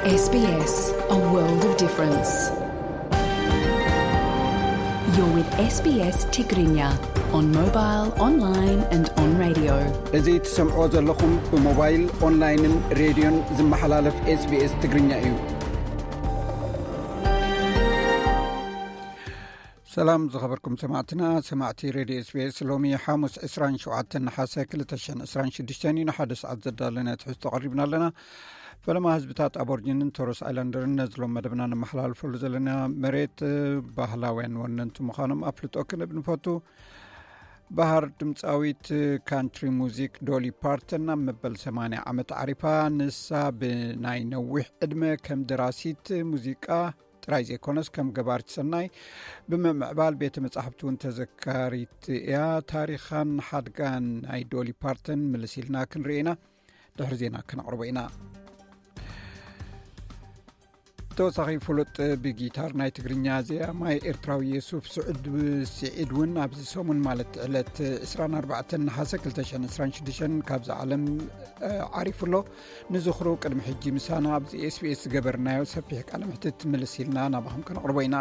S B S, a world of difference. You're with S B S Tigrinya on mobile, online and on radio. እዚ ትሰምዕዎ ዘለኹም ብሞባይል፣ ኦንላይንን ሬድዮን ዝመሓላለፍ S B S ትግርኛ እዩ። ሰላም ዝኸበርኩም ሰማዕትና፣ ሰማዕቲ ሬድዮ S B S፣ ሎሚ ሓሙስ ዕስራን ሸውዓተን ነሓሰ ክልተ ሽሕን ዕስራን ሽዱሽተን እዩ። ንሓደ ሰዓት ዘዳለና ትሕዝቶ ቀሪብና ኣለና። ፈለማ ህዝብታት ኣቦርጂንን ቶረስ ኣይላንደርን ነዚ ሎም መደብና ነመሓላልፈሉ ዘለና መሬት ባህላውያን ወነንቲ ምዃኖም ኣፍልጦ ክንህብ ንፈቱ። ባህር ድምፃዊት ካንትሪ ሙዚክ ዶሊ ፓርተን ናብ መበል ሰማንያ ዓመት ዓሪፋ። ንሳ ብናይ ነዊሕ ዕድመ ከም ደራሲት ሙዚቃ ጥራይ ዘይኮነስ ከም ገባርት ሰናይ ብምምዕባል ቤተ መጻሕፍቲ እውን ተዘካሪት እያ። ታሪኻን ሓድጋን ናይ ዶሊ ፓርተን ምልስ ኢልና ክንርኢ ኢና። ድሕሪ ዜና ከነቕርቦ ኢና። ተወሳኺ ፍሉጥ ብጊታር ናይ ትግርኛ ዜማይ ኤርትራዊ የሱፍ ስዑድ ስዒድ እውን ኣብዚ ሰሙን ማለት ዕለት ዕስራን ኣርባዕተን ነሓሰ ክልተ ሽሕን ዕስራን ሽዱሽተን ካብዛ ዓለም ዓሪፉ ኣሎ። ንዝኽሩ ቅድሚ ሕጂ ምሳና ኣብዚ S B S ዝገበርናዮ ሰፊሕ ቃለ ምሕትት ምልስ ኢልና ናባኹም ከነቕርቦ ኢና።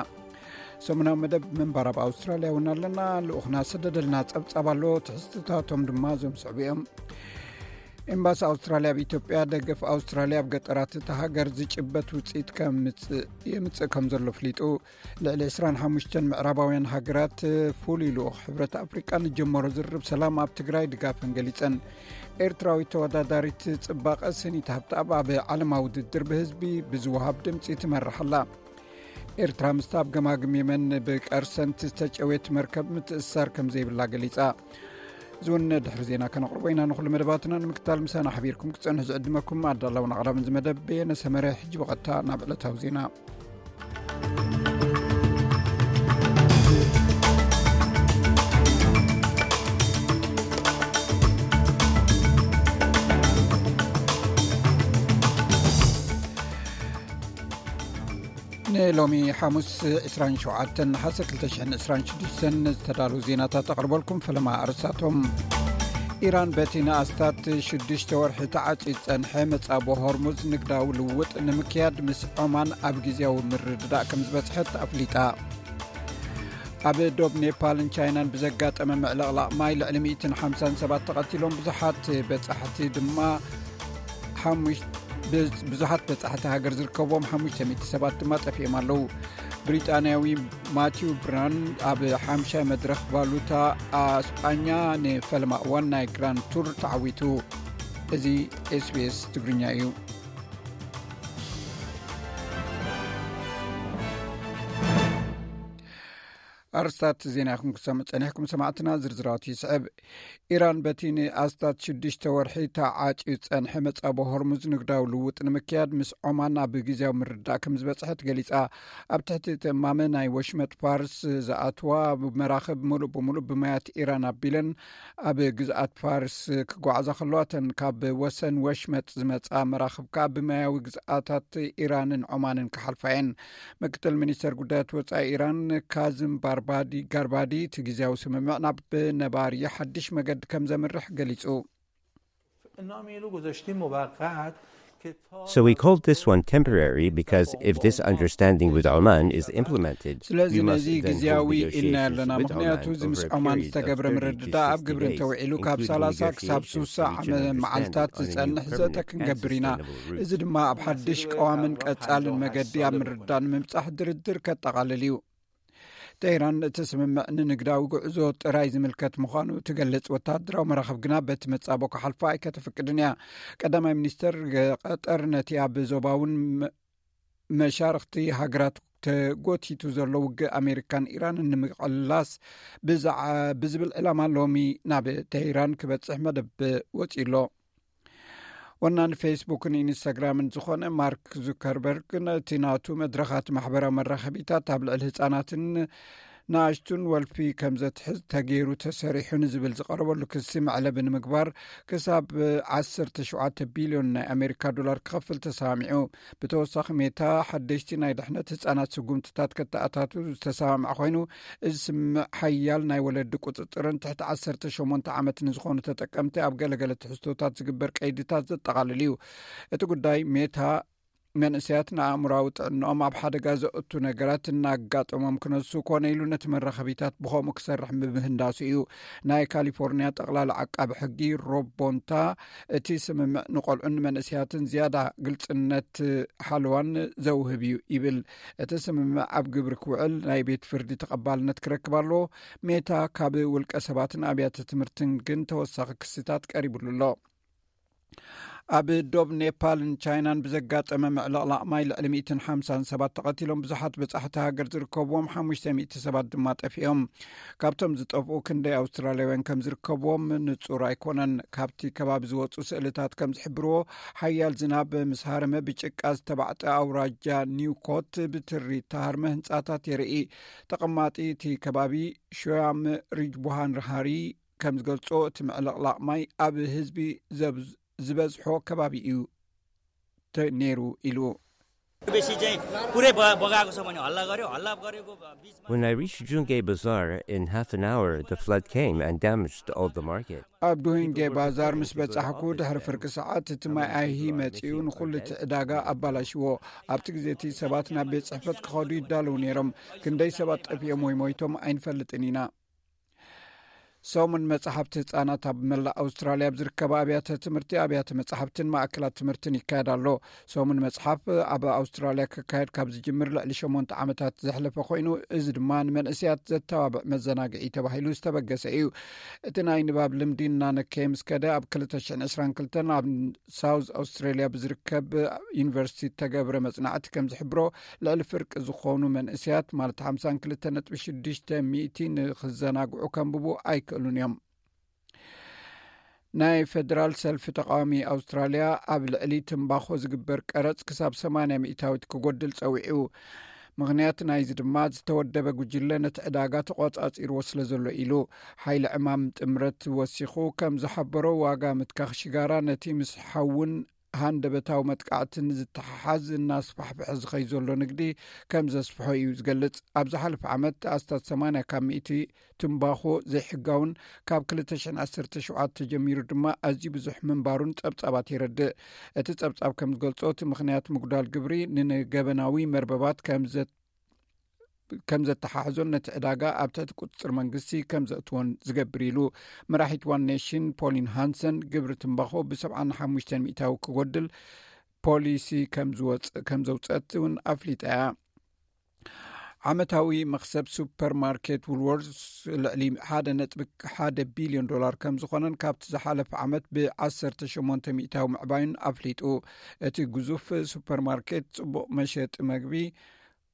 ሰሙናዊ መደብ ምንባር ኣብ ኣውስትራልያ እውን ኣለና። ልኡኽና ሰደደልና ጸብጻብ ኣሎ። ትሕዝትታቶም ድማ እዞም ዝስዕቡ እዮም። ኤምባሲ ኣውስትራልያ ኣብ ኢትዮጵያ፣ ደገፍ ኣውስትራልያ ኣብ ገጠራት እታ ሃገር ዝጭበት ውጽኢት ከምጽእ የምጽእ ከም ዘሎ ኣፍሊጡ። ልዕሊ ዕስራን ሓሙሽተን ምዕራባውያን ሃገራት ፍሉይ ልኡኽ ሕብረት ኣፍሪቃ ንጀመሮ ዝርርብ ሰላም ኣብ ትግራይ ድጋፈን ገሊጸን። ኤርትራዊት ተወዳዳሪት ጽባቐ ስኒት ሃብተኣብ ኣብ ዓለማዊ ውድድር ብህዝቢ ብዝወሃብ ድምጺ ትመርሕ ኣላ። ኤርትራ ምስታ ኣብ ገማግም የመን ብቀርሰንት ዝተጨወየት መርከብ ምትእስሳር ከም ዘይብላ ገሊጻ። እዚ እውን ድሕሪ ዜና ከነቕርቦ ኢና። ንኹሉ መደባትና ንምክታል ምሳና ሓቢርኩም ክትጸንሑ ዝዕድመኩም ኣዳላውን ኣቕራብን እዚ መደብ በየነ ሰመረ። ሕጂ ብቐጥታ ናብ ዕለታዊ ዜና። ንሎሚ ሓሙስ ዕስራን ሸውዓተን ነሓሰ ክልተ ሽሕን ዕስራን ሽዱሽተን ዝተዳለዉ ዜናታት ኣቕርበልኩም። ፈለማ ኣርእስታቶም። ኢራን በቲ ንኣስታት ሽዱሽተ ወርሒ ተዓጽዩ ዝጸንሐ መጻብቦ ሆርሙዝ ንግዳዊ ልውውጥ ንምክያድ ምስ ዖማን ኣብ ግዜያዊ ምርድዳእ ከም ዝበጽሐት ኣፍሊጣ። ኣብ ዶብ ኔፓልን ቻይናን ብዘጋጠመ ምዕልቕላቕ ማይ ልዕሊ ሚእትን ሓምሳን ሰባት ተቐቲሎም፣ ብዙሓት በጻሕቲ ድማ ሓሙሽ-፣ ብዝ-፣ ብዙሓት በጻሕቲ ሃገር ዝርከብዎም ሓሙሽተ ሚእቲ ሰባት ድማ ጠፊኦም ኣለዉ። ብሪጣንያዊ ማቲው ብራን ኣብ ሓምሻይ መድረኽ ቫሉታ ኣስጳኛ ንፈለማ እዋን ናይ ግራንድ ቱር ተዓዊቱ። እዚ S B S ትግርኛ እዩ። ኣርስታት ዜና ኢኹም ክትሰምዑ ጸኒሕኩም ሰማዕትና፣ ዝርዝራቱ ይስዕብ። ኢራን በቲ ንኣስታት ሽዱሽተ ወርሒ ተዓጽዩ ዝጸንሐ መጻቦ ሆርሙዝ ንግዳዊ ልውውጥ ንምክያድ ምስ ዖማን ኣብ ግዜያዊ ምርድዳእ ከም ዝበጽሐት ገሊጻ። ኣብ ትሕቲ እቲ እማመ ናይ ወሽመጥ ፋርስ ዝኣትዋ መራኽብ ሙሉእ ብሙሉእ ብማያት ኢራን ኣቢለን ኣብ ግዝኣት ፋርስ ክጓዓዛ ከለዋ፣ እተን ካብ ወሰን ወሽመጥ ዝመጻ መራኽብ ከኣ ብማያዊ ግዝኣታት ኢራንን ዖማንን ክሓልፋ እየን። ምክትል ሚኒስተር ጉዳያት ወጻኢ ኢራን ካዝም ባርባዲ፣ ጋርባዲ፣ እቲ ግዜያዊ ስምምዕ ናብ ነባሪ ሓድሽ መገዲ ከም ዘምርሕ ገሊጹ። So we called this one temporary because if this understanding with Oman is implemented, ስለዚ ነዚ ግዜያዊ ኢልና ኣለና፣ ምክንያቱ እዚ ምስ ዖማን ዝተገብረ ምርድዳእ ኣብ ግብሪ እንተውዒሉ ካብ ሰላሳ ክሳብ ስሳ ዓመ መዓልታት ዝጸንሕ ዘተ ክንገብር ኢና። እዚ ድማ ኣብ ሓድሽ ቀዋምን ቀጻልን መገዲ ኣብ ምርድዳእ ንምብጻሕ ድርድር ከጠቓልል እዩ። ቴህራን እቲ ስምምዕ ንንግዳዊ ጉዕዞ ጥራይ ዝምልከት ምዃኑ ትገልጽ፣ ወተሃደራዊ መራኽብ ግና በቲ መጻቦ ክሓልፋ ኣይከተፍቅድን እያ። ቀዳማይ ሚኒስተር ቀጠር ነቲ ኣብ ዞባውን መ-፣ መሻርኽቲ ሃገራት ተጎቲቱ ዘሎ ውግእ ኣሜሪካን ኢራንን ንምቕላስ ብዝዓ-፣ ብዝብል ዕላማ ሎሚ ናብ ቴህራን ክበጽሕ መደብ ወጺኡ ኣሎ። ወናኒ ፌስቡክን ኢንስታግራምን ዝኾነ ማርክ ዙከርበርግ ነቲ ናቱ መድረኻት ማሕበራዊ መራኸቢታት ኣብ ልዕሊ ህጻናትን ንኣሽቱን ወልፊ ከም ዘትሕዝ ተገይሩ ተሰሪሑ ንዝብል ዝቐረበሉ ክሲ መዕለቢ ንምግባር ክሳብ ዓሰርተ ሸውዓተ ቢልዮን ናይ ኣሜሪካ ዶላር ክኸፍል ተሰማሚዑ። ብተወሳኺ ሜታ ሓደሽቲ ናይ ድሕነት ህጻናት ስጉምትታት ከተኣታቱ ዝተሰማምዐ ኮይኑ፣ እዚ ስምምዕ ሓያል ናይ ወለዲ ቁጽጽርን ትሕቲ ዓሰርተ ሸሞንተ ዓመት ንዝኾኑ ተጠቀምቲ ኣብ ገለገለ ትሕዝቶታት ዝግበር ቀይድታት ዘጠቓልል እዩ። እቲ ጉዳይ ሜታ መንእሰያት ንኣእምራዊ ጥዕናኦም ኣብ ሓደጋ ዘእቱ ነገራት እናጋጠሞም ክነሱ ኮነ ኢሉ ነቲ መራኸቢታት ብኸምኡ ክሰርሕ ብምህንዳሱ እዩ። ናይ ካሊፎርኒያ ጠቕላላ ዓቃቢ ሕጊ ሮብ ቦንታ፣ እቲ ስምምዕ ንቆልዑን መንእሰያትን ዝያዳ ግልጽነት ሓለዋን ዘውህብ እዩ ይብል። እቲ ስምምዕ ኣብ ግብሪ ክውዕል ናይ ቤት ፍርዲ ተቐባልነት ክረክብ ኣለዎ። ሜታ ካብ ውልቀ ሰባትን ኣብያተ ትምህርትን ግን ተወሳኺ ክስታት ቀሪብሉ ኣሎ። ኣብ ዶብ ኔፓልን ቻይናን ብዘጋጠመ ምዕልቕላቕ ማይ ልዕሊ ሚእትን ሓምሳን ሰባት ተቐቲሎም፣ ብዙሓት በጻሕቲ ሃገር ዝርከብዎም ሓሙሽተ ሚእቲ ሰባት ድማ ጠፊኦም። ካብቶም ዝጠፍኡ ክንደይ ኣውስትራልያውያን ከም ዝርከብዎም ንጹር ኣይኮነን። ካብቲ ከባቢ ዝወጹ ስእልታት ከም ዝሕብርዎ፣ ሓያል ዝናብ ምስ ሃረመ ብጭቃ ዝተባዕጠ ኣውራጃ ኒውኮት ብትሪ እተሃርመ ህንጻታት የርኢ። ተቐማጢ እቲ ከባቢ ሾያም ሪጅቡሃን ሃሪ ከም ዝገልጾ፣ እቲ ምዕልቕላቕ ማይ ኣብ ህዝቢ ዝበዝሖ ከባቢ እዩ ነይሩ ኢሉ። बेसी चाहिँ पुरै बगाएको छ भने हल्ला गर्यो, हल्ला गरेको बिचमा When I reached Jungay Bazaar, in half an hour the flood came and damaged all the market. ኣብ ዱሂንጌ ባዛር ምስ በጻሕኩ፣ ድሕሪ ፍርቂ ሰዓት እቲ ማይ ኣይሂ መጺኡ ንኹሉ እቲ ዕዳጋ ኣባላሽዎ። ኣብቲ ግዜ እቲ ሰባት ናብ ቤት ጽሕፈት ክኸዱ ይዳለዉ ነይሮም። ክንደይ ሰባት ጠፊኦም ወይ ሞይቶም ኣይንፈልጥን ኢና። ሰሙን መጽሓፍቲ ህጻናት ኣብ መላእ ኣውስትራልያ ኣብ ዝርከባ ኣብያተ ትምህርቲ፣ ኣብያተ መጽሓፍትን ማእከላት ትምህርትን ይካየድ ኣሎ። ሰሙን መጽሓፍ ኣብ ኣውስትራልያ ክካየድ ካብ ዝጅምር ልዕሊ ሸሞንተ ዓመታት ዘሕለፈ ኮይኑ፣ እዚ ድማ ንመንእሰያት ዘተባብዕ መዘናግዒ ተባሂሉ ዝተበገሰ እዩ። እቲ ናይ ንባብ ልምዲ እናነከየ ምስ ከደ፣ ኣብ ክልተ ሽሕን ዕስራን ክልተን ኣብ ሳውዝ ኣውስትራልያ ብዝርከብ ዩኒቨርሲቲ እተገብረ መጽናዕቲ ከም ዝሕብሮ፣ ልዕሊ ፍርቂ ዝኾኑ መንእሰያት፣ ማለት ሓምሳን ክልተ ነጥቢ ሽዱሽተ ሚእቲ፣ ንኽዘናግዑ ከንብቡ ኣይክእሉን እዮም። ናይ ፌደራል ሰልፊ ተቃዋሚ ኣውስትራልያ ኣብ ልዕሊ ትምባኾ ዝግበር ቀረጽ ክሳብ ሰማንያ ሚእታዊት ክጎድል ጸዊዑ። ምኽንያት ናይዚ ድማ ዝተወደበ ጉጅለ ነቲ ዕዳጋ ተቆጻጺርዎ ስለ ዘሎ ኢሉ። ሓይሊ ዕማም ጥምረት ወሲኹ ከም ዝሓበሮ፣ ዋጋ ምትካኽ ሽጋራ ነቲ ምስ ሓውን ሃንደበታዊ መጥቃዕትን ዝተሓሓዝ እናስፋሕፍሐ ዝኸይ ዘሎ ንግዲ ከም ዘስፍሖ እዩ ዝገልጽ። ኣብ ዝሓለፈ ዓመት ኣስታት ሰማንያ ካብ ሚእቲ ትምባኾ ዘይሕጋውን ካብ ክልተ ሽሕን ዓሰርተ ሸውዓተ ጀሚሩ ድማ ኣዝዩ ብዙሕ ምንባሩን ጸብጻባት የረድእ። እቲ ጸብጻብ ከም ዝገልጾ፣ እቲ ምኽንያት ምጉዳል ግብሪ ንገበናዊ መርበባት ከም ዘ ከም ዘተሓሕዞን ነቲ ዕዳጋ ኣብ ትሕቲ ቁጽጽር መንግስቲ ከም ዘእትዎን ዝገብር ኢሉ። መራሒት ዋን ኔሽን ፖሊን ሃንሰን፣ ግብሪ ትምባኾ ብ ሰብዓን ሓሙሽተን ሚእታዊ ክጎድል ፖሊሲ ከም ዝወጽ- ከም ዘውጸት እውን ኣፍሊጣ እያ። ዓመታዊ መኽሰብ ሱፐርማርኬት ውልወርስ ልዕሊ ሓደ ነጥቢ ሓደ ቢልዮን ዶላር ከም ዝኾነን ካብቲ ዝሓለፈ ዓመት ብ ዓሰርተ ሸሞንተ ሚእታዊ ምዕባዩን ኣፍሊጡ። እቲ ግዙፍ ሱፐርማርኬት ጽቡቕ መሸጢ መግቢ፣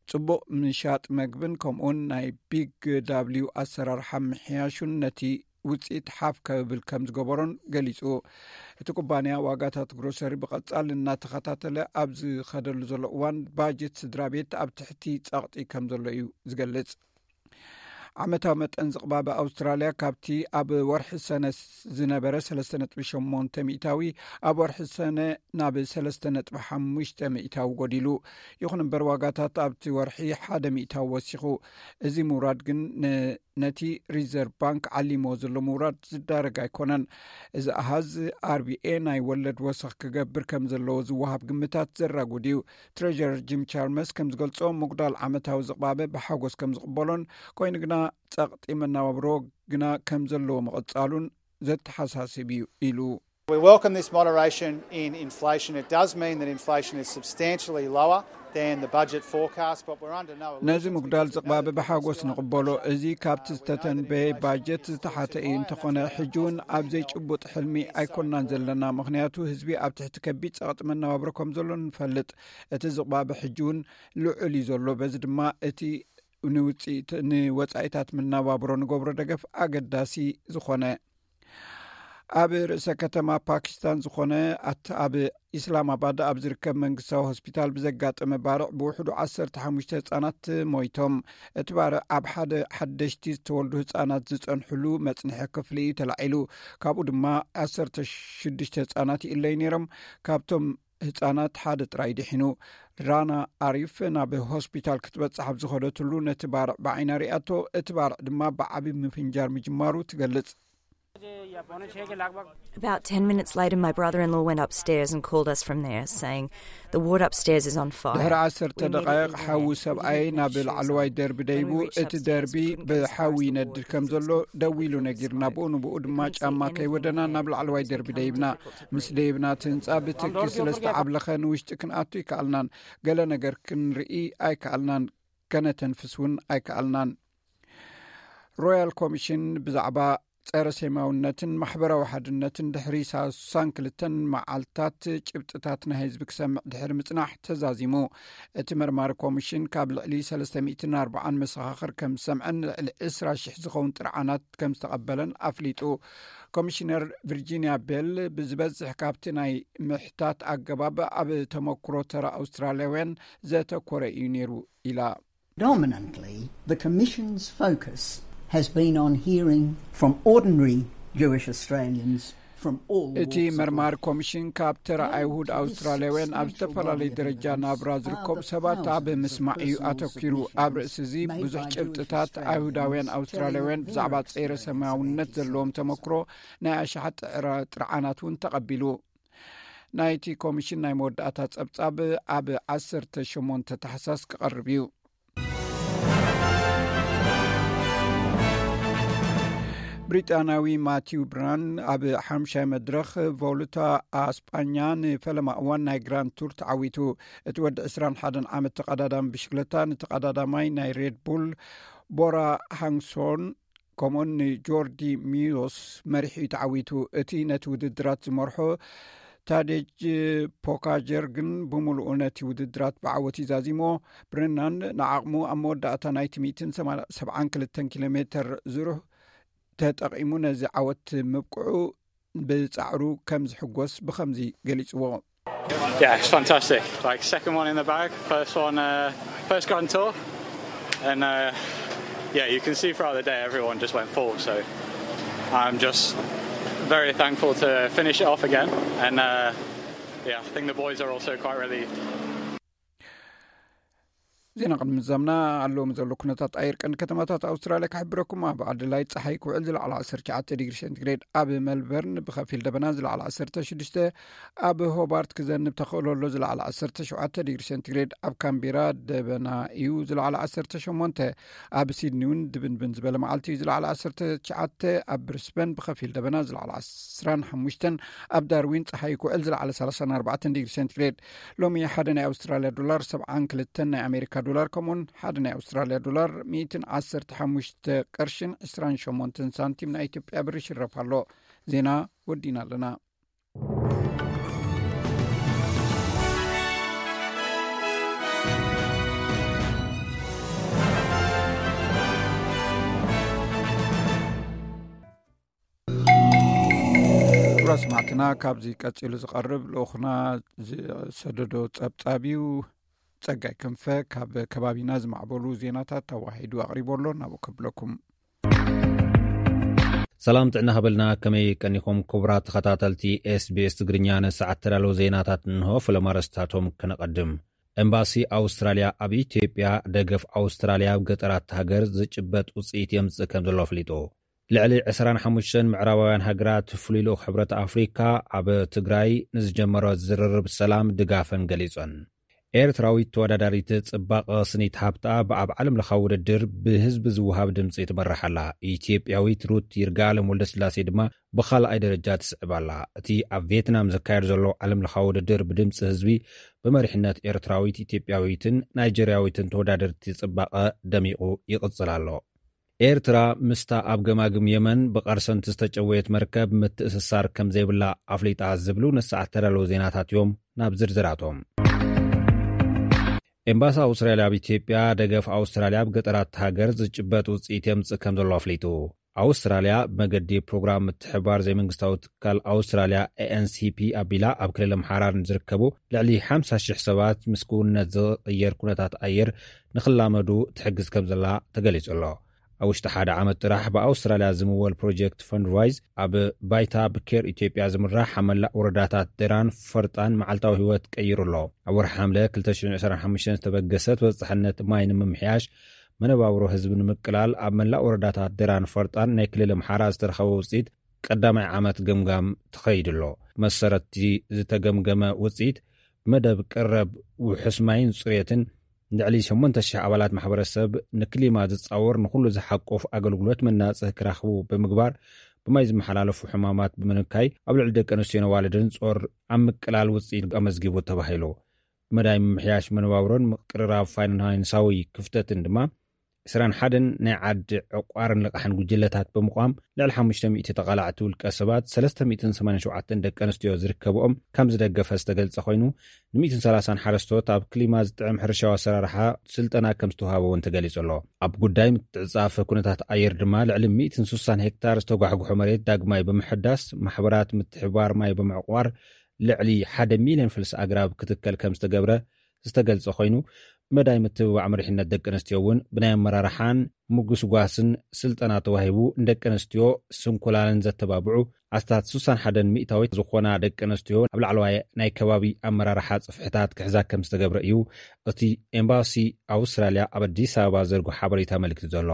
ጽቡቕ ምሻጥ መግብን ከምኡውን ናይ ቢግ ዳብሊው ኣሰራርሓ ምሕያሹን ነቲ ውጽኢት ሓፍ ከብል ከም ዝገበሮን ገሊጹ። እቲ ኩባንያ ዋጋታት ግሮሰሪ ብቐጻሊ እናተኸታተለ ኣብ ዝኸደሉ ዘሎ እዋን፣ ባጀት ስድራ ቤት ኣብ ትሕቲ ጸቕጢ ከም ዘሎ እዩ ዝገልጽ። ዓመታዊ መጠን ዝቕባበ ኣውስትራልያ ካብቲ ኣብ ወርሒ ሰነ ዝነበረ ሰለስተ ነጥቢ ሸሞንተ ሚእታዊ፣ ኣብ ወርሒ ሰነ ናብ ሰለስተ ነጥቢ ሓሙሽተ ሚእታዊ ጎዲሉ። ይኹን እምበር፣ ዋጋታት ኣብቲ ወርሒ ሓደ ሚእታዊ ወሲኹ። እዚ ምውራድ ግን ን- ነቲ ሪዘርቭ ባንክ ዓሊሞ ዘሎ ምውራድ ዝዳረግ ኣይኮነን። እዚ ኣሃዝ ኣርቢኤ ናይ ወለድ ወሰኽ ክገብር ከም ዘለዎ ዝወሃብ ግምታት ዘራጉድ እዩ። ትሬጀረር ጂም ቻልመርስ ከም ዝገልጾ፣ ምጉዳል ዓመታዊ ዝቕባበ ብሓጎስ ከም ዝቕበሎን፣ ኮይኑ ግና ጸቕጢ መነባብሮ ግና ከም ዘለዎ ምቕጻሉን ዘተሓሳስብ እዩ ኢሉ። We welcome this moderation in inflation. It does mean that inflation is substantially lower than the budget forecast, but we're under no ነዚ illusions ምጉዳል because ዝቕባበ ብሓጎስ ንቕበሎ። እዚ ካብቲ ዝተተንበየ ባጀት ዝተሓተ እዩ። እንተኾነ፣ ሕጂ እውን ኣብ ዘይጭቡጥ ሕልሚ ኣይኮናን ዘለና፣ ምኽንያቱ ህዝቢ ኣብ ትሕቲ ከቢድ ጸቕጢ መነባብሮ ከም ዘሎ ንፈልጥ። እቲ ዝቕባበ ሕጂ እውን ልዑል እዩ ዘሎ። በዚ ድማ እቲ ንውፅኢት- ንወፃኢታት መነባብሮ ንገብሮ ደገፍ ኣገዳሲ ዝኾነ። ኣብ ርእሰ ከተማ ፓኪስታን ዝኾነ ኣት- ኣብ ኢስላማባድ ኣብ ዝርከብ መንግስታዊ ሆስፒታል ብዘጋጠመ ባርዕ ብውሕዱ ዓሰርተ ሓሙሽተ ህጻናት ሞይቶም። እቲ ባርዕ ኣብ ሓደ ሓደሽቲ ዝተወልዱ ህጻናት ዝጸንሕሉ መጽንሒ ክፍሊ እዩ ተላዒሉ። ካብኡ ድማ ዓሰርተ ሽዱሽተ ህጻናት ይእለዩ ነይሮም። ካብቶም ህጻናት ሓደ ጥራይ ድሒኑ። ራና ኣሪፍ ናብ ሆስፒታል ክትበጽሕ ኣብ ዝኸደትሉ ነቲ ባርዕ ብዓይና ሪኣቶ፣ እቲ ባርዕ ድማ ብዓቢ ምፍንጃር ምጅማሩ ትገልጽ። About ten minutes later, my brother in law went upstairs and called us from there, saying, "The ward upstairs is on fire." ድሕሪ ዓሰርተ ደቓይቕ ሓዊ ሰብኣይ ናብ ላዕለዋይ ደርቢ ደይቡ፣ እቲ ደርቢ ብሓዊ ይነድድ ከም ዘሎ ደዊሉ ነጊርና። ብኡ ንብኡ ድማ ጫማ ከይወደና ናብ ላዕለዋይ ደርቢ ደይብና። ምስ ደይብና፣ እቲ ህንጻ ብትኪ ስለ ዝተዓብለኸ፣ ንውሽጢ ክንኣቱ ኣይከኣልናን። ገለ ነገር ክንርኢ ኣይከኣልናን። ከነተንፍስ እውን ኣይከኣልናን። ሮያል ኮሚሽን ብዛዕባ ጸረ ሴማውነትን ማሕበራዊ ሓድነትን ድሕሪ ሳሳን ክልተን መዓልታት ጭብጥታት ናይ ህዝቢ ክሰምዕ ድሕሪ ምጽናሕ ተዛዚሙ። እቲ መርማሪ ኮሚሽን ካብ ልዕሊ ሰለስተ ሚእትን ኣርባዓን መሰኻኽር ከም ዝሰምዐን ልዕሊ ዕስራ ሽሕ ዝኸውን ጥርዓናት ከም ዝተቐበለን ኣፍሊጡ። ኮሚሽነር ቪርጂኒያ ቤል፣ ብዝበዝሕ ካብቲ ናይ ምሕታት ኣገባብ ኣብ ተመክሮ ተራ ኣውስትራልያውያን ዘተኮረ እዩ ነይሩ ኢላ። Dominantly, the Commission's focus has been on hearing from ordinary Jewish Australians from all እቲ walks of መርማር life. ኮሚሽን ካብ ተራ ኣይሁድ ኣውስትራልያውያን ኣብ ዝተፈላለየ ደረጃ ናብራ ዝርከቡ ሰባት ኣብ ምስማዕ እዩ ኣተኪሩ። ኣብ ርእሲ እዚ ብዙሕ ጭብጥታት ኣይሁዳውያን ኣውስትራልያውያን ብዛዕባ ጸረ ሴማውነት ዘለዎም ተመክሮ ናይ ኣሽሓት ጥዕራ-፣ ጥርዓናት እውን ተቐቢሉ። ናይቲ ኮሚሽን ናይ መወዳእታ ጸብጻብ ኣብ ዓሰርተ ሸሞንተ ታሕሳስ ክቐርብ እዩ። ብሪጣናዊ ማቲው ብራን ኣብ ሓምሻይ መድረኽ ቮሉታ ኣስጳኛ ንፈለማ እዋን ናይ ግራንድ ቱር ተዓዊቱ። እቲ ወዲ ዕስራን ሓደን ዓመት ተቐዳዳሚ ብሽክለታ ንተቐዳዳማይ ናይ ሬድ ቡል ቦራ ሃንግሶን ከምኡን ንጆርዲ ሚዮስ መሪሑ እዩ ተዓዊቱ። እቲ ነቲ ውድድራት ዝመርሖ ታዴጅ ፖካጀር ግን ብምሉኡ ነቲ ውድድራት ብዓወት እዩ ዛዚሞ። ብረናን ንዓቕሙ ኣብ መወዳእታ ናይቲ ሚእትን ሰብዓን ክልተን ኪሎ ሜተር ዝሩህ ተጠቒሙ ነዚ ዓወት ምብቅዑ ብጻዕሩ ከም ዝሕጎስ ብኸምዚ ገሊጽዎ። Yeah, it's fantastic. Like, second one in the bag, first one, uh, first Grand Tour, and uh, yeah, you can see throughout the day everyone just went full. So I'm just very thankful to finish it off again, and uh, yeah, I think the boys are also quite relieved. ዜና ቅድሚ ምዛምና ኣለዎም ዘሎ ኩነታት ኣየር ቀንዲ ከተማታት ኣውስትራልያ ክሕብረኩም። ኣብ ኣደላይድ ጸሓይ ክውዕል ዝለዓለ ዓሰርተ ትሽዓተ ዲግሪ ሴንቲግሬድ፣ ኣብ መልበርን ብኸፊል ደበና ዝለዓለ ዓሰርተ ሽዱሽተ፣ ኣብ ሆባርት ክዘንብ ተኽእሎ ኣሎ ዝለዓለ ዓሰርተ ሸውዓተ ዲግሪ ሴንቲግሬድ፣ ኣብ ካምቤራ ደበና እዩ ዝለዓለ ዓሰርተ ሸሞንተ፣ ኣብ ሲድኒ እውን ድብንብን ዝበለ መዓልቲ እዩ ዝለዓለ ዓሰርተ ትሽዓተ፣ ኣብ ብሪስበን ብኸፊል ደበና ዝለዓለ ዕስራን ሓሙሽተን፣ ኣብ ዳርዊን ጸሓይ ክውዕል ዝለዓለ ሰላሳን ኣርባዕተን ዲግሪ ሴንቲግሬድ። ሎሚ ሓደ ናይ ኣውስትራልያ ዶላር ሰብዓን ክልተን ናይ ኣሜሪካ ዶላር፣ ከምኡውን ሓደ ናይ ኣውስትራልያ ዶላር ሚእትን ዓሰርተ ሓሙሽተ ቅርሽን ዕስራን ሸሞንተን ሳንቲም ናይ ኢትዮጵያ ብር ይሽረፍ ኣሎ። ዜና ወዲና ኣለና። ክቡራት ሰማዕትና፣ ካብዚ ቀጺሉ ዝቐርብ ልኡኽና ዝሰደዶ ጸብጻብ እዩ። ጸጋይ ክንፈ ካብ ከባቢና ዝማዕበሉ ዜናታት ተዋሂዱ ኣቕሪቦ ኣሎ። ናብኡ ከብለኩም። ሰላም ጥዕና ሃበልና፣ ከመይ ቀኒኹም ክቡራት ተኸታተልቲ ኤስቢኤስ ትግርኛ? ንሰዓት ተዳለዉ ዜናታት እንሆ፣ ፍለማ ኣርእስታቶም ከነቐድም። ኤምባሲ ኣውስትራልያ ኣብ ኢትዮጵያ ደገፍ ኣውስትራልያ ኣብ ገጠራት ሃገር ዝጭበጥ ውፅኢት የምፅእ ከም ዘሎ ኣፍሊጡ። ልዕሊ ዕስራን ሓሙሽተን ምዕራባውያን ሃገራት ፍሉይ ልኡኽ ሕብረት ኣፍሪካ ኣብ ትግራይ ንዝጀመሮ ዝርርብ ሰላም ድጋፈን ገሊፀን። ኤርትራዊት ተወዳዳሪት ጽባቐ ስኒት ሃብታ ብኣብ ዓለም ለኻዊ ውድድር ብህዝቢ ዝወሃብ ድምፂ ትመርሕ ኣላ። ኢትዮጵያዊት ሩት ይርጋለም ወልደስላሴ ድማ ብኻልኣይ ደረጃ ትስዕብ ኣላ። እቲ ኣብ ቪየትናም ዝካየድ ዘሎ ዓለም ለኻዊ ውድድር ብድምፂ ህዝቢ ብመሪሕነት ኤርትራዊት፣ ኢትዮጵያዊትን ናይጀርያዊትን ተወዳደርቲ ጽባቐ ደሚቑ ይቕጽል ኣሎ። ኤርትራ ምስታ ኣብ ገማግም የመን ብቐርሰንቲ ዝተጨወየት መርከብ ምትእስሳር ከም ዘይብላ ኣፍሊጣ ዝብሉ ንሰዓት ተዳለዉ ዜናታት እዮም። ናብ ዝርዝራቶም። ኤምባሲ ኣውስትራልያ ኣብ ኢትዮጵያ ደገፍ ኣውስትራልያ ኣብ ገጠራት ሃገር ዝጭበጥ ውፅኢት የምፅእ ከም ዘሎ ኣፍሊጡ። ኣውስትራልያ ብመገዲ ፕሮግራም ምትሕብባር ዘይመንግስታዊ ትካል ኣውስትራልያ ኤ ኤን ሲ ፒ ኣቢላ ኣብ ክልል ኣምሓራ ንዝርከቡ ልዕሊ ሓምሳ ሽሕ ሰባት ምስ ክውንነት ዝቕየር ኩነታት ኣየር ንኽላመዱ ትሕግዝ ከም ዘላ ተገሊጹ ኣሎ። ኣብ ውሽጢ ሓደ ዓመት ጥራሕ ብኣውስትራልያ ዝምወል ፕሮጀክት ፈንድራይዝ ኣብ ባይታ ብኬር ኢትዮጵያ ዝምራሕ ኣብ መላእ ወረዳታት ደራን ፈርጣን መዓልታዊ ህይወት ቀይሩ ኣሎ። ኣብ ወርሒ ሓምለ ክልተ ሽሕን ዕስራን ሓሙሽተን ዝተበገሰ ተበጻሕነት ማይ ንምምሕያሽ መነባብሮ ህዝቢ ንምቅላል ኣብ መላእ ወረዳታት ደራን ፈርጣን ናይ ክልል ኣምሓራ ዝተረኸበ ውፅኢት ቀዳማይ ዓመት ገምጋም ተኸይዱ ኣሎ። መሰረትቲ ዝተገምገመ ውፅኢት፣ ብመደብ ቀረብ ውሑስ ማይን ፅሬትን፣ ልዕሊ ሸሞንተ ሽሕ ኣባላት ማሕበረሰብ ንክሊማ ዝፃወር ንኩሉ ዝሓቆፍ ኣገልግሎት መናፅህ ክረኽቡ ብምግባር፣ ብማይ ዝመሓላለፉ ሕማማት ብምንካይ፣ ኣብ ልዕሊ ደቂ ኣንስትዮን ኣዋልድን ጾር ኣብ ምቅላል ውፅኢት ኣመዝጊቡ ተባሂሉ። ብመዳይ ምምሕያሽ መነባብሮን ምቅርራብ ፋይናንሳዊ ክፍተትን ድማ፣ ዕስራን ሓደን ናይ ዓዲ ዕቋርን ልቓሕን ጉጅለታት ብምቋም፣ ልዕሊ ሓሙሽተ ሚእቲ ተቓላዕቲ ውልቀ ሰባት፣ ሰለስተ ሚእትን ሰማንያን ሸውዓተን ደቂ ኣንስትዮ ዝርከብኦም ከም ዝደገፈ ዝተገልጸ ኮይኑ፣ ን ሚእትን ሰላሳን ሓረስቶት ኣብ ክሊማ ዝጥዕም ሕርሻዊ ኣሰራርሓ ስልጠና ከም ዝተዋሃበ እውን ተገሊጹ ኣሎ። ኣብ ጉዳይ ምትዕጻፍ ኩነታት ኣየር ድማ፣ ልዕሊ ሚእትን ስሳን ሄክታር ዝተጓሕጉሖ መሬት ዳግማይ ብምሕዳስ፣ ማሕበራት ምትሕባር ማይ ብምዕቋር፣ ልዕሊ ሓደ ሚልዮን ፈልሲ ኣግራብ ክትከል ከም ዝተገብረ ዝተገልጸ ኮይኑ፣ ብመዳይ ምትብባዕ መሪሕነት ደቂ ኣንስትዮ እውን ብናይ ኣመራርሓን ምጉስጓስን ስልጠና ተዋሂቡ፣ ንደቂ ኣንስትዮ ስንኩላንን ዘተባብዑ ኣስታት ስሳን ሓደን ሚእታዊት ዝኾና ደቂ ኣንስትዮ ኣብ ላዕለዋይ ናይ ከባቢ ኣመራርሓ ጽፍሕታት ክሕዛ ከም ዝተገብረ እዩ እቲ ኤምባሲ ኣውስትራልያ ኣብ ኣዲስ ኣበባ ዘርጎ ሓበሬታ ኣመልኪቱ ዘሎ።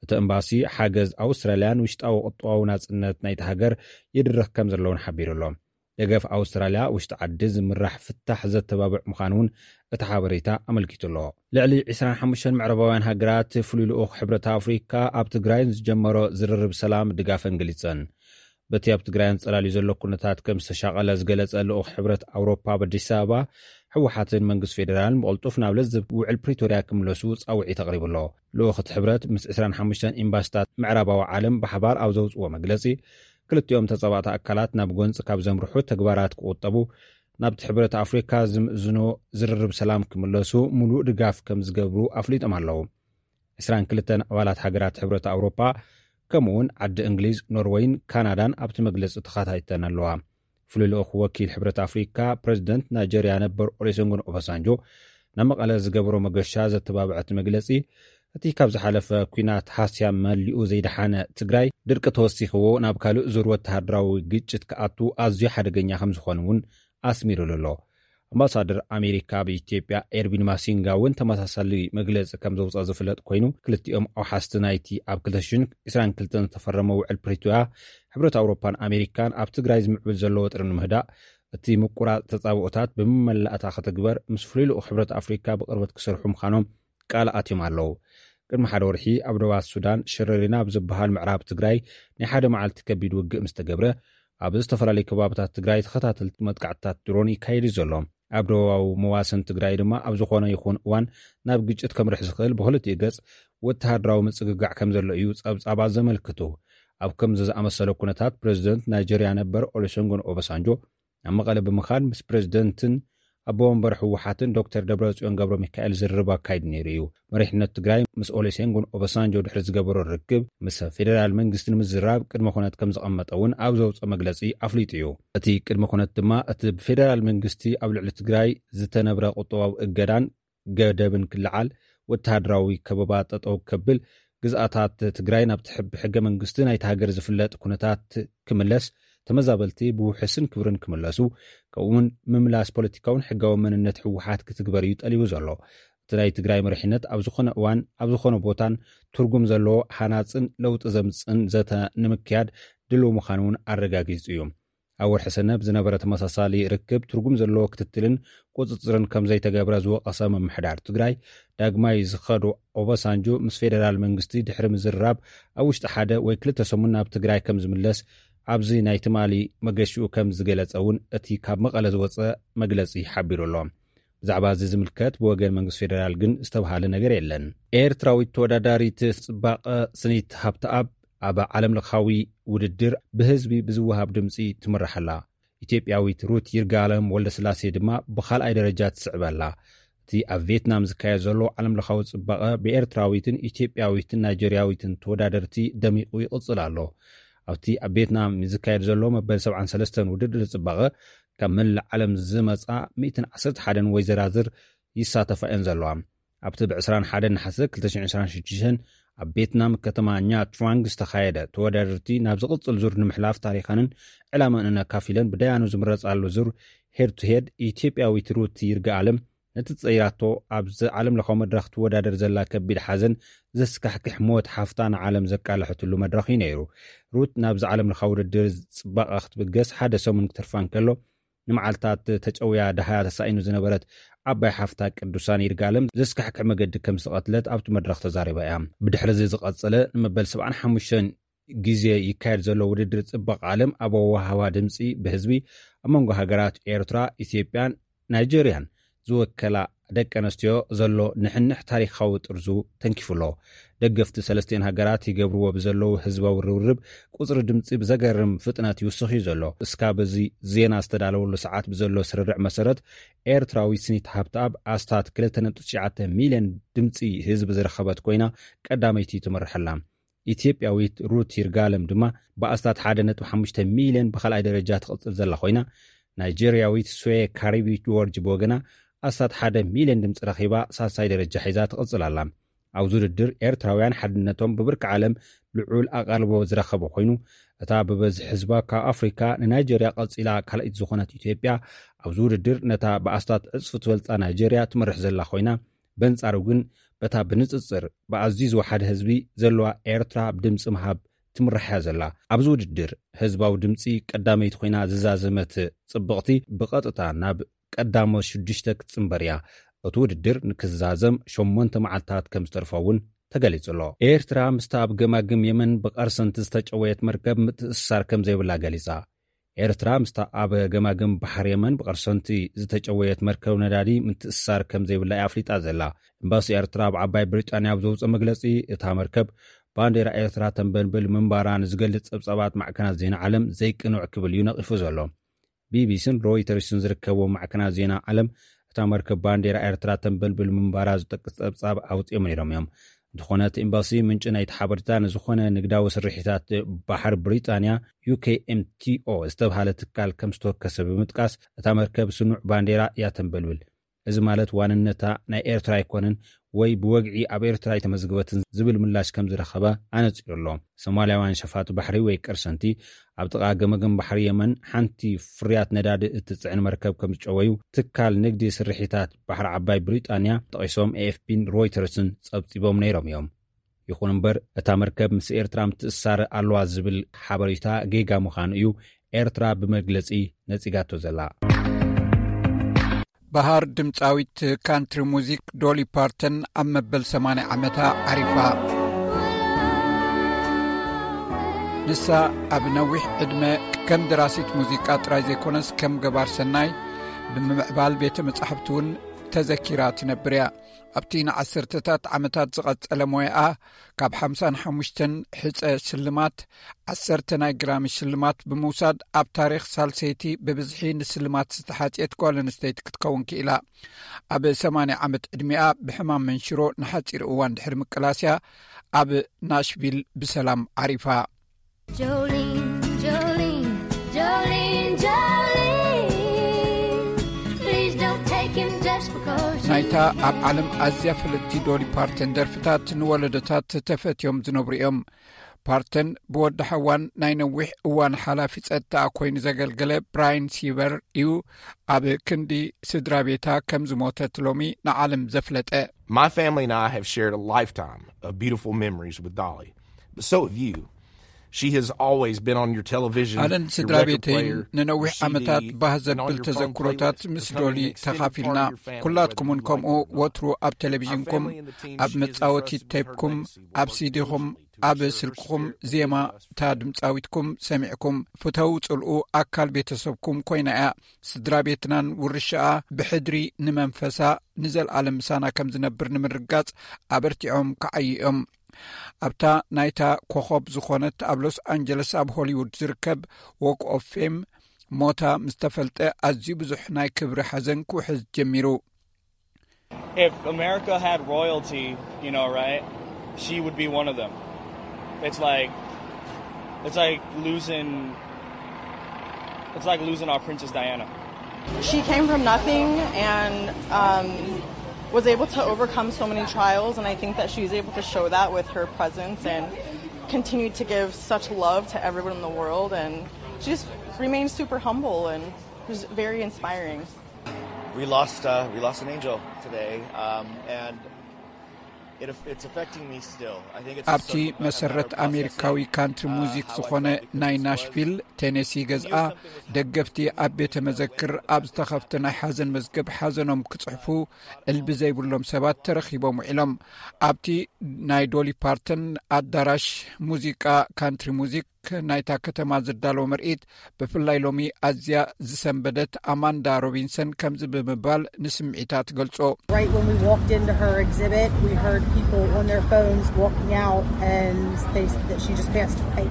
እቲ ኤምባሲ ሓገዝ ኣውስትራልያን ውሽጣዊ ቁጠባዊ ናጽነት ናይቲ ሃገር ይድርኽ ከም ዘለውን ሓቢሩ ኣሎ። ደገፍ ኣውስትራልያ ውሽጢ ዓዲ ዝምራሕ ፍታሕ ዘተባብዕ ምዃኑ እውን እቲ ሓበሬታ ኣመልኪቱ ኣሎ። ልዕሊ ዕስራን ሓሙሽተን ምዕራባውያን ሃገራት ፍሉይ ልኡኽ ሕብረት ኣፍሪካ ኣብ ትግራይ ንዝጀመሮ ዝርርብ ሰላም ድጋፈን ገሊጸን። በቲ ኣብ ትግራይ ኣንጸላልዩ ዘሎ ኩነታት ከም ዝተሻቐለ ዝገለጸ ልኡኽ ሕብረት ኣውሮፓ ኣብ ኣዲስ ኣበባ፣ ህወሓትን መንግስቲ ፌደራልን ብቕልጡፍ ናብ ለዘብ ውዕል ፕሪቶርያ ክምለሱ ጻውዒት ኣቕሪቡ ኣሎ። ልኡኽ እቲ ሕብረት ምስ ዕስራን ሓሙሽተን ኤምባሲታት ምዕራባዊ ዓለም ብሓባር ኣብ ዘውፅዎ መግለጺ፣ ክልቲኦም ተጻባእቲ ኣካላት ናብ ጎንፂ ካብ ዘምርሑ ተግባራት ክቑጠቡ፣ ናብቲ ሕብረት ኣፍሪካ ዝምእዝኖ ዝርርብ ሰላም ክምለሱ ሙሉእ ድጋፍ ከም ዝገብሩ ኣፍሊጦም ኣለዉ። ዕስራን ክልተን ኣባላት ሃገራት ሕብረት ኣውሮፓ፣ ከምኡ እውን ዓዲ እንግሊዝ፣ ኖርወይን ካናዳን ኣብቲ መግለጺ ተኻታይተን ኣለዋ። ፍሉይ ልኡኽ ወኪል ሕብረት ኣፍሪካ፣ ፕረዚደንት ናይጀርያ ነበር ኦሉሴጉን ኦባሳንጆ ናብ መቐለ ዝገበሮ መገሻ ዘተባብዐ እቲ መግለጺ፣ እቲ ካብ ዝሓለፈ ኲናት ሃስያ መሊኡ ዘይደሓነ ትግራይ፣ ድርቂ ተወሲኽዎ ናብ ካልእ ዙር ወተሃደራዊ ግጭት ክኣቱ ኣዝዩ ሓደገኛ ከም ዝኾነ እውን ኣስሚሩሉ ኣሎ። ኣምባሳደር ኣሜሪካ ኣብ ኢትዮጵያ ኤርቪን ማሲንጋ እውን ተመሳሳሊ መግለጺ ከም ዘውፅኣ ዝፍለጥ ኮይኑ፣ ክልቲኦም ኣውሓስቲ ናይቲ ኣብ ክልተ ሽሕን ዕስራን ክልተን ዝተፈረመ ውዕል ፕሪቶርያ፣ ሕብረት ኣውሮፓን ኣሜሪካን ኣብ ትግራይ ዝምዕብል ዘሎ ወጥሪ ንምህዳእ፣ እቲ ምቁራፅ ተጻብኦታት ብመመላእታ ክትግበር ምስ ፍሉይ ልኡኽ ሕብረት ኣፍሪካ ብቕርበት ክሰርሑ ምዃኖም ቃል ኣትዮም ኣለዉ። ቅድሚ ሓደ ወርሒ ኣብ ደባት ሱዳን ሸረሪና ኣብ ዝበሃል ምዕራብ ትግራይ ናይ ሓደ መዓልቲ ከቢድ ውግእ ምስ ተገብረ፣ ኣብ ዝተፈላለዩ ከባብታት ትግራይ ተኸታተልቲ መጥቃዕትታት ድሮን ይካየድ እዩ ዘሎ። ኣብ ደቡባዊ መዋሰን ትግራይ ድማ ኣብ ዝኾነ ይኹን እዋን ናብ ግጭት ከምርሕ ዝኽእል ብኽልቲኡ ገጽ ወተሃደራዊ ምጽግጋዕ ከም ዘሎ እዩ ጸብጻባት ዘመልክቱ። ኣብ ከምዚ ዝኣመሰለ ኩነታት፣ ፕረዚደንት ናይጀርያ ነበር ኦሉሴጉን ኦባሳንጆ ናብ መቐለ ብምኻድ ምስ ፕረዚደንትን ኣቦ ወንበር ህወሓትን ዶክተር ደብረጽዮን ገብረ ሚካኤል ዝርርብ ኣካይዱ ነይሩ እዩ። መሪሕነት ትግራይ ምስ ኦሉሴጉን ኦባሳንጆ ድሕሪ ዝገበሮ ርክብ፣ ምስ ፌደራል መንግስቲ ንምዝራብ ቅድመ ኩነት ከም ዘቐመጠ እውን ኣብ ዘውፅኦ መግለፂ ኣፍሊጡ እዩ። እቲ ቅድመ ኩነት ድማ፣ እቲ ብፌደራል መንግስቲ ኣብ ልዕሊ ትግራይ ዝተነብረ ቁጠባዊ እገዳን ገደብን ክለዓል፣ ወተሃደራዊ ከበባ ጠጠው ከብል፣ ግዝኣታት ትግራይ ናብቲ ሕብ-፣ ብሕገ መንግስቲ ናይቲ ሃገር ዝፍለጥ ኩነታት ክምለስ፣ ተመዛበልቲ ብውሑስን ክብርን ክምለሱ፣ ከምኡውን ምምላስ ፖለቲካውን ሕጋዊ መንነት ህወሓት ክትግበር እዩ ጠሊቡ ዘሎ። እቲ ናይ ትግራይ መሪሕነት ኣብ ዝኾነ እዋን፣ ኣብ ዝኾነ ቦታን ትርጉም ዘለዎ ሃናጽን ለውጢ ዘምጽእን ዘተ ንምክያድ ድልው ምዃኑ እውን ኣረጋጊጹ እዩ። ኣብ ወርሒ ሰነ ብዝነበረ ተመሳሳሊ ርክብ፣ ትርጉም ዘለዎ ክትትልን ቁጽጽርን ከም ዘይተገብረ ዝወቐሰ ምምሕዳር ትግራይ፣ ዳግማይ ዝኸዶ ኦባሳንጆ ምስ ፌደራል መንግስቲ ድሕሪ ምዝርራብ፣ ኣብ ውሽጢ ሓደ ወይ ክልተ ሰሙን ናብ ትግራይ ከም ዝምለስ ኣብዚ ናይ ትማሊ መገሽኡ ከም ዝገለጸ እውን እቲ ካብ መቐለ ዝወጸ መግለጺ ሓቢሩ ኣሎ። ብዛዕባ እዚ ዝምልከት ብወገን መንግስቲ ፌደራል ግን ዝተብሃለ ነገር የለን። ኤርትራዊት ተወዳዳሪት ጽባቐ ስኒት ሃብተኣብ ኣብ ዓለም ለኻዊ ውድድር ብህዝቢ ብዝወሃብ ድምጺ ትምራሕ ኣላ። ኢትዮጵያዊት ሩት ይርጋለም ወልደስላሴ ድማ ብኻልኣይ ደረጃ ትስዕብ ኣላ። እቲ ኣብ ቪየትናም ዝካየድ ዘሎ ዓለም ለኻዊ ጽባቐ ብኤርትራዊትን ኢትዮጵያዊትን ናይጀርያዊትን ተወዳደርቲ ደሚቑ ይቕጽል ኣሎ። ኣብቲ ኣብ ቪየትናም ዝካየድ ዘሎ መበል ሰብዓን ሰለስተን ውድድር ጽባቐ፣ ካብ መላእ ዓለም ዝመጻ ሚእትን ዓሰርተ ሓደን ወይዘራዝር ይሳተፋ እየን ዘለዋ። ኣብቲ ብ ዕስራን ሓደን ነሓሰ ክልተ ሽሕን ዕስራን ሽዱሽተን ኣብ ቪየትናም ከተማ ኛ ትራንግ ዝተኻየደ ተወዳደርቲ ናብ ዝቕጽል ዙር ንምሕላፍ ታሪኸንን ዕላመንን ኣካፊለን ብደያኑ ዝምረጻሉ ዙር ሄድ ቱ ሄድ፣ ኢትዮጵያዊት ሩት ይርጋኣለም ነቲ ጸይራቶ ኣብዚ ዓለም ለኻዊ መድረኽ ትወዳደር ዘላ ከቢድ ሓዘን ዘስካሕክሕ ሞት ሓፍታ ንዓለም ዘቃለሐትሉ መድረኽ እዩ ነይሩ። ሩት ናብዚ ዓለም ለኻዊ ውድድር ጽባቐ ክትብገስ ሓደ ሰሙን ክትርፋ እንከሎ፣ ንመዓልታት ተጨውያ ደሃያ ተሳኢኑ ዝነበረት ዓባይ ሓፍታ ቅዱሳን ይርጋለም ዘስካሕክሕ መገዲ ከም ዝተቐትለት ኣብቲ መድረኽ ተዛሪባ እያ። ብድሕሪ እዚ ዝቐጸለ ንመበል ሰብዓን ሓሙሽተን ግዜ ይካየድ ዘሎ ውድድር ጽባቐ ዓለም ኣብ ኣወሃህባ ድምጺ ብህዝቢ ኣብ መንጎ ሃገራት ኤርትራ፣ ኢትዮጵያን ናይጀርያን ዝወከላ ደቂ ኣንስትዮ ዘሎ ንሕንሕ ታሪኻዊ ጥርዙ ተንኪፉ ኣሎ። ደገፍቲ ሰለስቲኤን ሃገራት ይገብርዎ ብዘለዉ ህዝባዊ ርብርብ ቁጽሪ ድምጺ ብዘገርም ፍጥነት ይውስኽ እዩ ዘሎ። እስካብ እዚ ዜና ዝተዳለወሉ ሰዓት ብዘሎ ስርርዕ መሰረት፣ ኤርትራዊት ስኒት ሃብተኣብ ኣስታት ክልተ ነጥቢ ትሽዓተ ሚልዮን ድምጺ ህዝቢ ዝረኸበት ኮይና ቀዳመይቲ ትምርሕ ኣላ። ኢትዮጵያዊት ሩት ይርጋለም ድማ ብኣስታት ሓደ ነጥቢ ሓሙሽተ ሚልዮን ብኻልኣይ ደረጃ ትቕጽል ዘላ ኮይና፣ ናይጀርያዊት ስዌ ካሪቢ ጆርጅ ብወገና ኣስታት ሓደ ሚልዮን ድምጺ ረኺባ ሳልሳይ ደረጃ ሒዛ ትቕጽል ኣላ። ኣብዚ ውድድር ኤርትራውያን ሓድነቶም ብብርኪ ዓለም ልዑል ኣቓልቦ ዝረኸበ ኮይኑ፣ እታ ብበዝሒ ህዝባ ካብ ኣፍሪካ ንናይጀርያ ቀጺላ ካልኣይቲ ዝኾነት ኢትዮጵያ፣ ኣብዚ ውድድር ነታ ብኣስታት ዕጽፊ ትበልጻ ናይጀርያ ትመርሕ ዘላ ኮይና፣ በንጻሩ ግን በታ ብንጽጽር ብኣዝዩ ዝወሓደ ህዝቢ ዘለዋ ኤርትራ ብድምጺ ምሃብ ትምራሕ እያ ዘላ። ኣብዚ ውድድር ህዝባዊ ድምጺ ቀዳመይቲ ኮይና ዝዛዘመት ጽብቕቲ ብቐጥታ ናብ ቀዳሞት ሽዱሽተ ክትጽንበር እያ። እቲ ውድድር ንክዛዘም ሸሞንተ መዓልታት ከም ዝተርፎ እውን ተገሊጹ ኣሎ። ኤርትራ ምስታ ኣብ ገማግም የመን ብቐርሰንቲ ዝተጨወየት መርከብ ምትእስሳር ከም ዘይብላ ገሊጻ። ኤርትራ ምስታ ኣብ ገማግም ባሕሪ የመን ብቐርሰንቲ ዝተጨወየት መርከብ ነዳዲ ምትእስሳር ከም ዘይብላ እያ ኣፍሊጣ ዘላ። ኤምባሲ ኤርትራ ኣብ ዓባይ ብሪጣንያ ኣብ ዘውፅኦ መግለጺ፣ እታ መርከብ ባንዴራ ኤርትራ ተንበልብል ምንባራ ንዝገልጽ ጸብጻባት ማዕከናት ዜና ዓለም ዘይቅኑዕ ክብል እዩ ነቒፉ ዘሎ። ቢቢሲን ሮይተርስን ዝርከብዎም ማዕከናት ዜና ዓለም፣ እታ መርከብ ባንዴራ ኤርትራ ተንበልብል ምንባራ ዝጠቅስ ጸብጻብ ኣውጺኦም ነይሮም እዮም። እንተኾነ፣ እቲ ኤምባሲ ምንጪ ናይቲ ሓበሬታ ንዝኾነ ንግዳዊ ስርሒታት ባሕሪ ብሪጣንያ፣ ዩ ኬ ኤም ቲ ኦ ዝተብሃለ ትካል ከም ዝተወከሰ ብምጥቃስ፣ እታ መርከብ ስኑዕ ባንዴራ እያ ተንበልብል። እዚ ማለት ዋንነታ ናይ ኤርትራ ኣይኮነን ወይ ብወግዒ ኣብ ኤርትራ ኣይተመዝግበትን ዝብል ምላሽ ከም ዝረኸበ ኣነጺሩ ኣሎ። ሶማልያውያን ሸፋቱ ባሕሪ ወይ ቅርሰንቲ ኣብ ጥቓ ገመገም ባሕሪ የመን ሓንቲ ፍርያት ነዳዲ እትጽዕን መርከብ ከም ዝጨወዩ ትካል ንግዲ ስርሒታት ባሕሪ ዓባይ ብሪጣንያ ጠቒሶም ኤ ኤፍ ፒን ሮይተርስን ጸብጺቦም ነይሮም እዮም። ይኹን እምበር፣ እታ መርከብ ምስ ኤርትራ ምትእስሳር ኣለዋ ዝብል ሓበሬታ ጌጋ ምዃኑ እዩ ኤርትራ ብመግለጺ ነጺጋቶ ዘላ። በሃር ድምጻዊት ካንትሪ ሙዚክ ዶሊ ፓርተን ኣብ መበል ሰማንያ ዓመታ ዓሪፋ። ንሳ ኣብ ነዊሕ ዕድመ ከም ደራሲት ሙዚቃ ጥራይ ዘይኮነስ፣ ከም ገባር ሰናይ ብምምዕባል ቤተ መጻሕፍቲ እውን ተዘኪራ ትነብር እያ። ኣብቲ ንዓሰርተታት ዓመታት ዝቐጸለ ሞያኣ፣ ካብ ሓምሳን ሓሙሽተን ሕጸ ሽልማት፣ ዓሰርተ ናይ ግራሚ ሽልማት ብምውሳድ፣ ኣብ ታሪኽ ሳልሰይቲ ብብዝሒ ንስልማት ዝተሓጽየት ጓል ኣንስተይቲ ክትከውን ክኢላ። ኣብ ሰማንያ ዓመት ዕድሚኣ ብሕማም መንሽሮ ንሓጺር እዋን ድሕሪ ምቅላስያ፣ ኣብ ናሽቪል ብሰላም ዓሪፋ። Jolene, Jolene, Jolene, Jolene. Please don't take him just because you ናይታ ኣብ ዓለም ኣዝያ ፍልጥቲ ዶሊ ፓርተን ደርፍታት ንወለዶታት ተፈትዮም ዝነብሩ እዮም። ፓርተን ብወዲ ሓዋን ናይ ነዊሕ እዋን ሓላፊ ጸጥታ ኮይኑ ዘገልገለ ብራይን ሲበር እዩ ኣብ ክንዲ ስድራ ቤታ ከም ዝሞተት ሎሚ ንዓለም ዘፍለጠ። My family and I have shared a lifetime of beautiful memories with Dolly, but so have you. She has always been on your television, ኣለን ስድራ ቤተይን ንነዊሕ ዓመታት ባህ ዘብል ተዘክሮታት ምስ ዶሊ ተኻፊልና። ኩላትኩምን ከምኡ ወትሩ ኣብ ቴሌቪዥንኩም፣ ኣብ መጻወቲ ቴፕኩም፣ ኣብ ሲዲኹም፣ ኣብ ስልክኹም ዜማ እታ ድምጻዊትኩም ሰሚዕኩም፣ ፍተው ጽልኡ ኣካል ቤተሰብኩም ኮይና እያ። ስድራ ቤትናን ውርሻኣ ብሕድሪ ንመንፈሳ ንዘለኣለም ምሳና ከም ዝነብር ንምርጋጽ ኣበርቲዖም ክዓዩ እዮም። ኣብታ ናይታ ኮኸብ ዝኾነት ኣብ ሎስ ኣንጀለስ ኣብ ሆሊውድ ዝርከብ ዎክ ኦፍ ፌም ሞታ ምስ ተፈልጠ ኣዝዩ ብዙሕ ናይ ክብሪ ሓዘን ክውሕዝ ጀሚሩ። If America had royalty, you know, right, she would be one of them. It's like, it's like losing, it's like losing our Princess Diana. She came from nothing and um, was able to overcome so many trials, and I think that she's able to show that with her presence and continue to give such love to everyone in the world. And she just remains super humble and just very inspiring. We lost uh, we lost an angel today, um, and it, it's affecting me still. I think it's ኣብቲ መሰረት ኣሜሪካዊ ካንትሪ ሙዚክ ዝኾነ ናይ ናሽቪል ቴኔሲ ገዝኣ ደገፍቲ ኣብ ቤተ መዘክር ኣብ ዝተኸፍተ ናይ ሓዘን መዝገብ ሓዘኖም ክጽሕፉ እልቢ ዘይብሎም ሰባት ተረኺቦም ውዒሎም። ኣብቲ ናይ ዶሊ ፓርተን ኣዳራሽ ሙዚቃ ካንትሪ ሙዚክ ናይታ ከተማ ዝዳለወ ምርኢት ብፍላይ ሎሚ ኣዝያ ዝሰንበደት ኣማንዳ ሮቢንሰን ከምዚ ብምባል ንስምዒታ ትገልጾ። Right when we walked into her exhibit, we heard people on their phones walking out, and they said that she just passed away.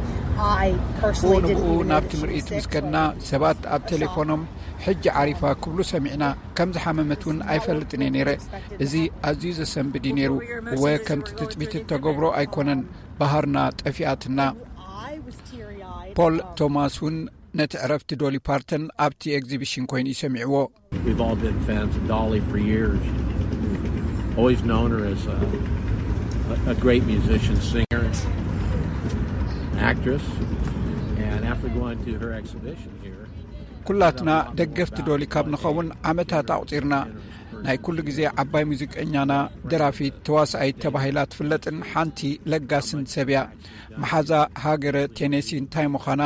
I personally didn't even know ናብቲ ምርኢት ምስ ከድና ሰባት ኣብ ቴሌፎኖም ሕጂ ዓሪፋ ክብሉ ሰሚዕና። ከም ዝሓመመት እውን ኣይፈልጥን እየ ነይረ። እዚ ኣዝዩ ዘሰንብድ እዩ ነይሩ። እወ ከምቲ ትጽቢት እተገብሮ ኣይኮነን። ባህርና ጠፊኣትና። ፖል ቶማስ እውን ነቲ ዕረፍቲ ዶሊ ፓርተን ኣብቲ ኤግዚቢሽን ኮይኑ ይሰሚዕዎ። We've all been fans of Dolly for years. Always known her as a, a great musician, singer, actress. And after going to her exhibition here, ኩላትና ደገፍቲ ዶሊ ካብ ንኸውን ዓመታት ኣቑጺርና። ናይ ኩሉ ግዜ ዓባይ ሙዚቀኛና፣ ደራፊት፣ ተዋሳኣይት ተባሂላ ትፍለጥን ሓንቲ ለጋስን ሰብ እያ። መሓዛ ሃገረ ቴኔሲ እንታይ ምዃና፣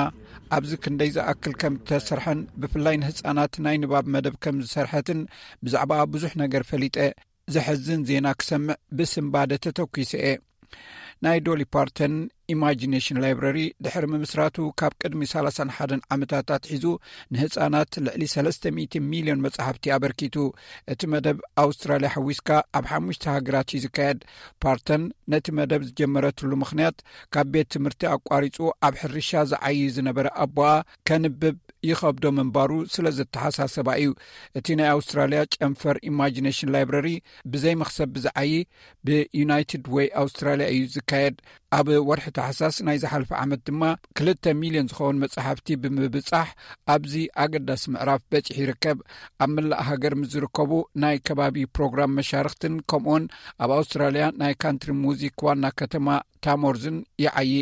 ኣብዚ ክንደይ ዝኣክል ከም እተሰርሐን ብፍላይ ንህጻናት ናይ ንባብ መደብ ከም ዝሰርሐትን ብዛዕባኣ ብዙሕ ነገር ፈሊጠ። ዘሐዝን ዜና ክሰምዕ ብስንባደ ተተኲሰ እየ። ናይ ዶሊ ፓርተን ኢማጂኔሽን ላይብረሪ ድሕሪ ምምስራቱ ካብ ቅድሚ ሰላሳን ሓደን ዓመታት ኣትሒዙ ንህጻናት ልዕሊ ሰለስተ ሚእቲ ሚልዮን መጻሕፍቲ ኣበርኪቱ። እቲ መደብ ኣውስትራልያ ሓዊስካ ኣብ ሓሙሽተ ሃገራት እዩ ዝካየድ። ፓርተን ነቲ መደብ ዝጀመረትሉ ምኽንያት ካብ ቤት ትምህርቲ ኣቋሪጹ ኣብ ሕርሻ ዝዓዪ ዝነበረ ኣቦኣ ከንብብ ይኸብዶ ምንባሩ ስለ ዘተሓሳሰባ እዩ። እቲ ናይ ኣውስትራልያ ጨንፈር ኢማጂኔሽን ላይብረሪ ብዘይ መኽሰብ ብዝዓዪ ብዩናይትድ ወይ ኣውስትራልያ እዩ ዝካየድ። ኣብ ወርሒ ታሕሳስ ናይ ዝሓለፈ ዓመት ድማ ክልተ ሚልዮን ዝኸውን መጻሕፍቲ ብምብጻሕ ኣብዚ ኣገዳሲ ምዕራፍ በጺሑ ይርከብ። ኣብ መላእ ሃገር ምስ ዝርከቡ ናይ ከባቢ ፕሮግራም መሻርኽትን ከምኡውን ኣብ ኣውስትራልያ ናይ ካንትሪ ሙዚክ ዋና ከተማ ታሞርዝን ይዓዪ።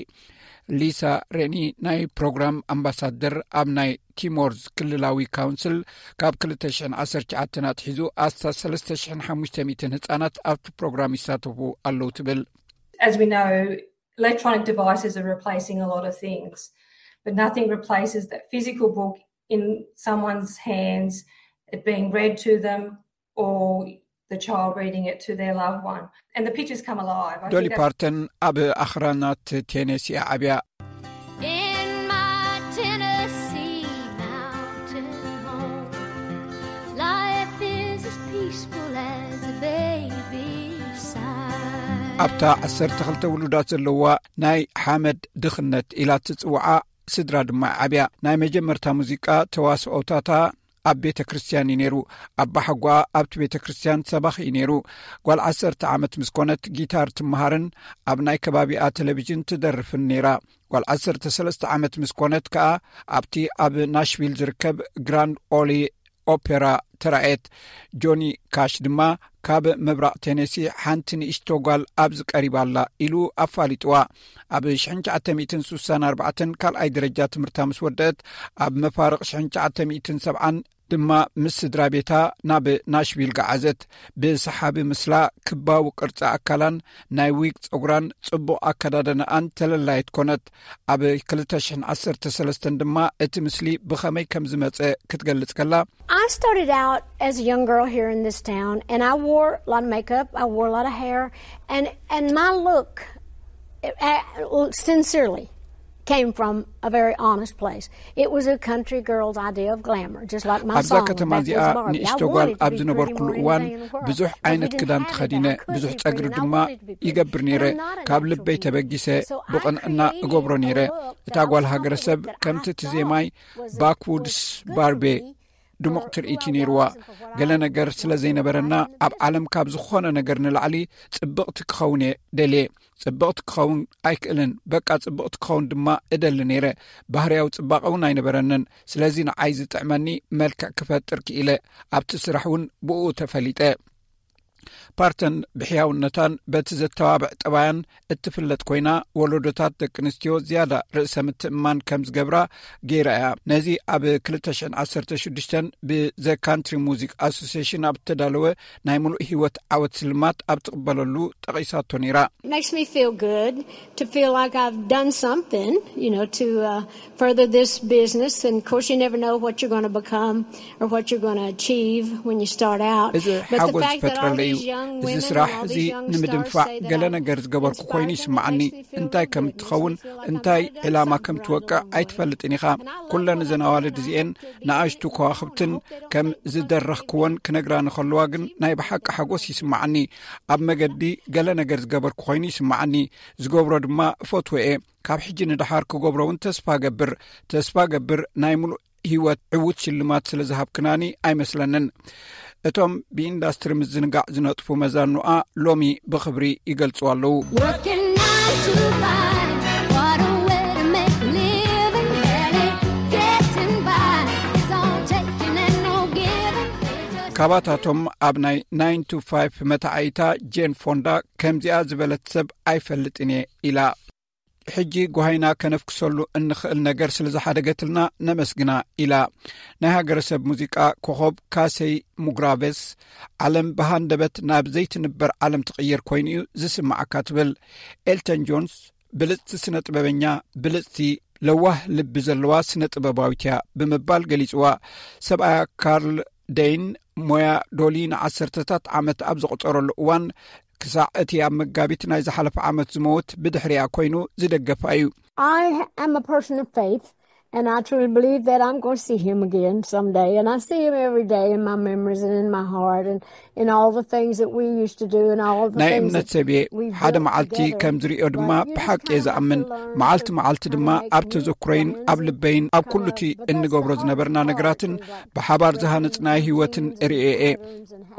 ሊሳ ሬኒ ናይ ፕሮግራም ኣምባሳደር ኣብ ናይ ቲሞርዝ ክልላዊ ካውንስል ካብ ክልተ ሽሕን ዓሰርተ ትሽዓተን ኣትሒዙ ኣስታት ሰለስተ ሽሕን ሓሙሽተ ሚእትን ህጻናት ኣብቲ ፕሮግራም ይሳተፉ ኣለዉ ትብል። As we know, electronic devices are replacing a lot of things, but nothing replaces that physical book in someone's hands, it being read to them, or the child reading it to their loved one. And the pictures come alive. I ዶሊ think that's ፓርተን ኣብ ኣኽራናት ቴኔሲ እያ ዓብያ። In my Tennessee mountain home, life is as peaceful as a baby sigh. ኣብታ ዓሰርተ ክልተ ውሉዳት ዘለዋ ናይ ሓመድ ድኽነት ኢላ ትጽውዓ ስድራ ድማ ዓብያ። ናይ መጀመርታ ሙዚቃ ተዋስኦታታ ኣብ ቤተ ክርስትያን እዩ ነይሩ። ኣባሓጓኣ ኣብቲ ቤተ ክርስትያን ሰባኺ እዩ ነይሩ። ጓል ዓሰርተ ዓመት ምስ ኮነት ጊታር ትመሃርን ኣብ ናይ ከባቢኣ ቴሌቪዥን ትደርፍን ነይራ። ጓል ዓሰርተ ሰለስተ ዓመት ምስ ኮነት ከኣ ኣብቲ ኣብ ናሽቪል ዝርከብ ግራንድ ኦሊ ኦፔራ ተራእየት። ጆኒ ካሽ ድማ ካብ ምብራቕ ቴኔሲ ሓንቲ ንእሽቶ ጓል ኣብዚ ቀሪባ ኣላ ኢሉ ኣፋሊጥዋ። ኣብ ሽሕን ትሽዓተ ሚእትን ስሳን ኣርባዕተን ካልኣይ ደረጃ ትምህርታ ምስ ወደአት ኣብ መፋርቕ ሽሕን ትሽዓተ ሚእትን ሰብዓን ድማ ምስ ስድራ ቤታ ናብ ናሽቪል ገዓዘት። ብሰሓቢ ምስላ፣ ክባዊ ቅርጺ ኣካላን ናይ ዊግ ጸጉራን ጽቡቕ ኣከዳድናኣን ተለላየት ኮነት። ኣብ ክልተ ሽሕን ዓሰርተ ሰለስተን ድማ እቲ ምስሊ ብኸመይ ከም ዝመጸ ክትገልጽ ከላ፣ I started out as a young girl here in this town, and I wore a lot of makeup. I wore a lot of hair, and and my look, uh, sincerely, came from a very honest place. It was a country girl's idea of glamour, just like my ኣብዛ song. ከተማ That እዚኣ was Barbie. I ንእሽቶ ጓል wanted to ኣብ be ዝነበርኩሉ pretty more እዋን anything in the world. ብዙሕ If we ዓይነት didn't ክዳን have it, ተኸዲነ I could ብዙሕ be ጸግሪ pretty, and I ድማ wanted to be pretty, ይገብር but ነይረ። I'm not a ካብ natural ልበይ beauty. ተበጊሰ So I ብቕንዕና created እገብሮ a ነይረ። look እታ that ጓል was ሃገረሰብ something that ከምቲ I እቲ ዜማይ thought was ባክውድስ good for ባርቤ me. ድሙቕ ትርኢት እዩ ነይርዋ። ገለ ነገር ስለ ዘይነበረና ኣብ ዓለም ካብ ዝኾነ ነገር ንላዕሊ ጽብቕቲ ክኸውን እየ ደልየ። ጽብቕቲ ክኸውን ኣይክእልን፣ በቃ ጽብቕቲ ክኸውን ድማ እደሊ ነይረ። ባህርያዊ ጽባቐ እውን ኣይነበረንን። ስለዚ ንዓይ ዝጥዕመኒ መልክዕ ክፈጥር ክኢለ። ኣብቲ ስራሕ እውን ብኡ ተፈሊጠ። ፓርተን ብሕያውነታን በቲ ዘተባብዕ ጠባያን እትፍለጥ ኮይና፣ ወለዶታት ደቂ ኣንስትዮ ዝያዳ ርእሰ ምትእምማን ከም ዝገብራ ገይራ እያ። ነዚ ኣብ ክልተ ሽሕን ዓሰርተ ሽዱሽተን ብ The Country Music Association ኣብ እተዳለወ ናይ ምሉእ ህይወት ዓወት ስልማት ኣብ ትቕበለሉ ጠቒሳቶ ነይራ። Makes me feel good to feel like I've done something, you know, to uh, further this business. And of course, you never know what you're going to become or what you're going to achieve when you start out. እዚ ሓጎስ ዝፈጥረለይ እዩ። እዚ ስራሕ እዚ ንምድንፋዕ ገለ ነገር ዝገበርኩ ኮይኑ ይስምዓኒ። እንታይ ከም እትኸውን፣ እንታይ ዕላማ ከም ትወቅዕ ኣይትፈልጥን ኢኻ። ኩለን እዘን ኣዋልድ እዚኤን ንኣሽቱ ከዋኽብትን ከም ዝደረኽክዎን ክነግራኒ ከለዋ ግን ናይ ብሓቂ ሓጎስ ይስምዓኒ። ኣብ መገዲ ገለ ነገር ዝገበርኩ ኮይኑ ይስምዓኒ። ዝገብሮ ድማ እፈትዎ እየ። ካብ ሕጂ ንደሓር ክገብሮ እውን ተስፋ ገብር። ተስፋ ገብር ናይ ምሉእ ህይወት ዕዉት ሽልማት ስለ ዝሃብክናኒ ኣይመስለንን። እቶም ብኢንዳስትሪ ምዝንጋዕ ዝነጥፉ መዛኑኣ ሎሚ ብኽብሪ ይገልጹ ኣለዉ። Working nine to five, what a way to make a living. Barely getting by, it's all taking and no giving. ካባታቶም ኣብ ናይ ናይን ቱ ፋይቭ መታዓይታ ጄን ፎንዳ ከምዚኣ ዝበለት ሰብ ኣይፈልጥን እየ ኢላ። ሕጂ ጓሃይና ከነፍክሰሉ እንኽእል ነገር ስለ ዝሓደገትልና ነመስግና ኢላ። ናይ ሃገረሰብ ሙዚቃ ኮኸብ ካሰይ ሙግራቬስ፣ ዓለም ብሃንደበት ናብ ዘይትንበር ዓለም ትቕየር ኮይኑ እዩ ዝስምዓካ ትብል። ኤልተን ጆንስ ብልጽቲ ስነ ጥበበኛ፣ ብልጽቲ ለዋህ ልቢ ዘለዋ ስነ ጥበባዊት እያ ብምባል ገሊጽዋ። ሰብኣያ ካርል ደይን ሞያ ዶሊ ንዓሰርተታት ዓመት ኣብ ዘቑጸረሉ እዋን፣ ክሳዕ እቲ ኣብ መጋቢት ናይ ዝሓለፈ ዓመት ዝመውት ብድሕሪኣ ኮይኑ ዝደገፋ እዩ። I am a person of faith, and I truly believe that I'm going to see him again someday. And I see him every day in my memories and in my heart and in all the things that we used to do and all the ናይ things እምነት that ሰብ እየ። we've ሓደ built መዓልቲ together. ከም ዝሪኦ ድማ But you ብሓቂ kinda እየ ዝኣምን። have to learn መዓልቲ how መዓልቲ to ድማ make ኣብ new ተዘክሮይን friends ኣብ and ልበይን ኣብ ኩሉ እቲ እንገብሮ ዝነበርና ነገራትን ብሓባር ዝሃነጽናዮ ህይወትን ርእየ እየ።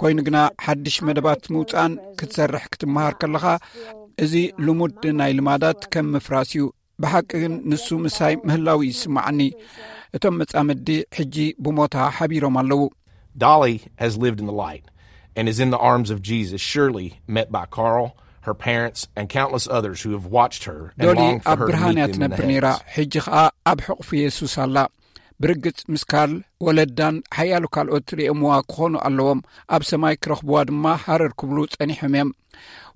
ኮይኑ ግና ሓድሽ መደባት ምውጻእን ክትሰርሕ ክትመሃር ከለኻ፣ እዚ ልሙድ ናይ ልማዳት ከም ምፍራስ እዩ። ብሓቂ ግን ንሱ ምሳይ ምህላው ይስምዓኒ። እቶም መጻምዲ ሕጂ ብሞታ ሓቢሮም ኣለዉ። Dolly has lived in the light and is in the arms of Jesus, surely met by Carl, her parents, and countless others who have watched her and ዶሊ longed for ኣብ her to ብርሃን meet እያ them in the ትነብር ነይራ። heavens. ሕጂ ኸኣ ኣብ ሕቑፊ የሱስ ኣላ። ብርግጽ ምስ ካርል፣ ወለዳን ሓያሎ ካልኦት ርእየምዋ ክኾኑ ኣለዎም። ኣብ ሰማይ ክረኽብዋ ድማ ሃረር ክብሉ ጸኒሖም እዮም።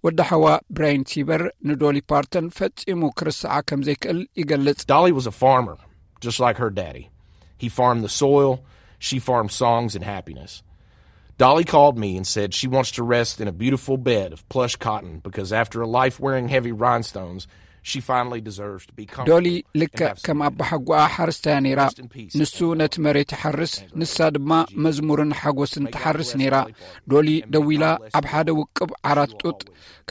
ወዲ ሓዋ ብራይን ሲበር ንዶሊ ፓርተን ፈጺሙ ክርስዓ ከም ዘይክእል ይገልጽ። Dolly was a farmer, just like her daddy. He farmed the soil, she farmed songs and happiness. Dolly called me and said she wants to rest in a beautiful bed of plush cotton because after a life wearing heavy rhinestones, she finally deserves to be comfortable. ዶሊ ልክዕ ከም ኣባሓጓኣ ሓረስታያ ነይራ። ንሱ ነቲ መሬት ይሓርስ፣ ንሳ ድማ መዝሙርን ሓጎስን ትሓርስ ነይራ። ዶሊ ደዊላ ኣብ ሓደ ውቅብ ዓራት ጡጥ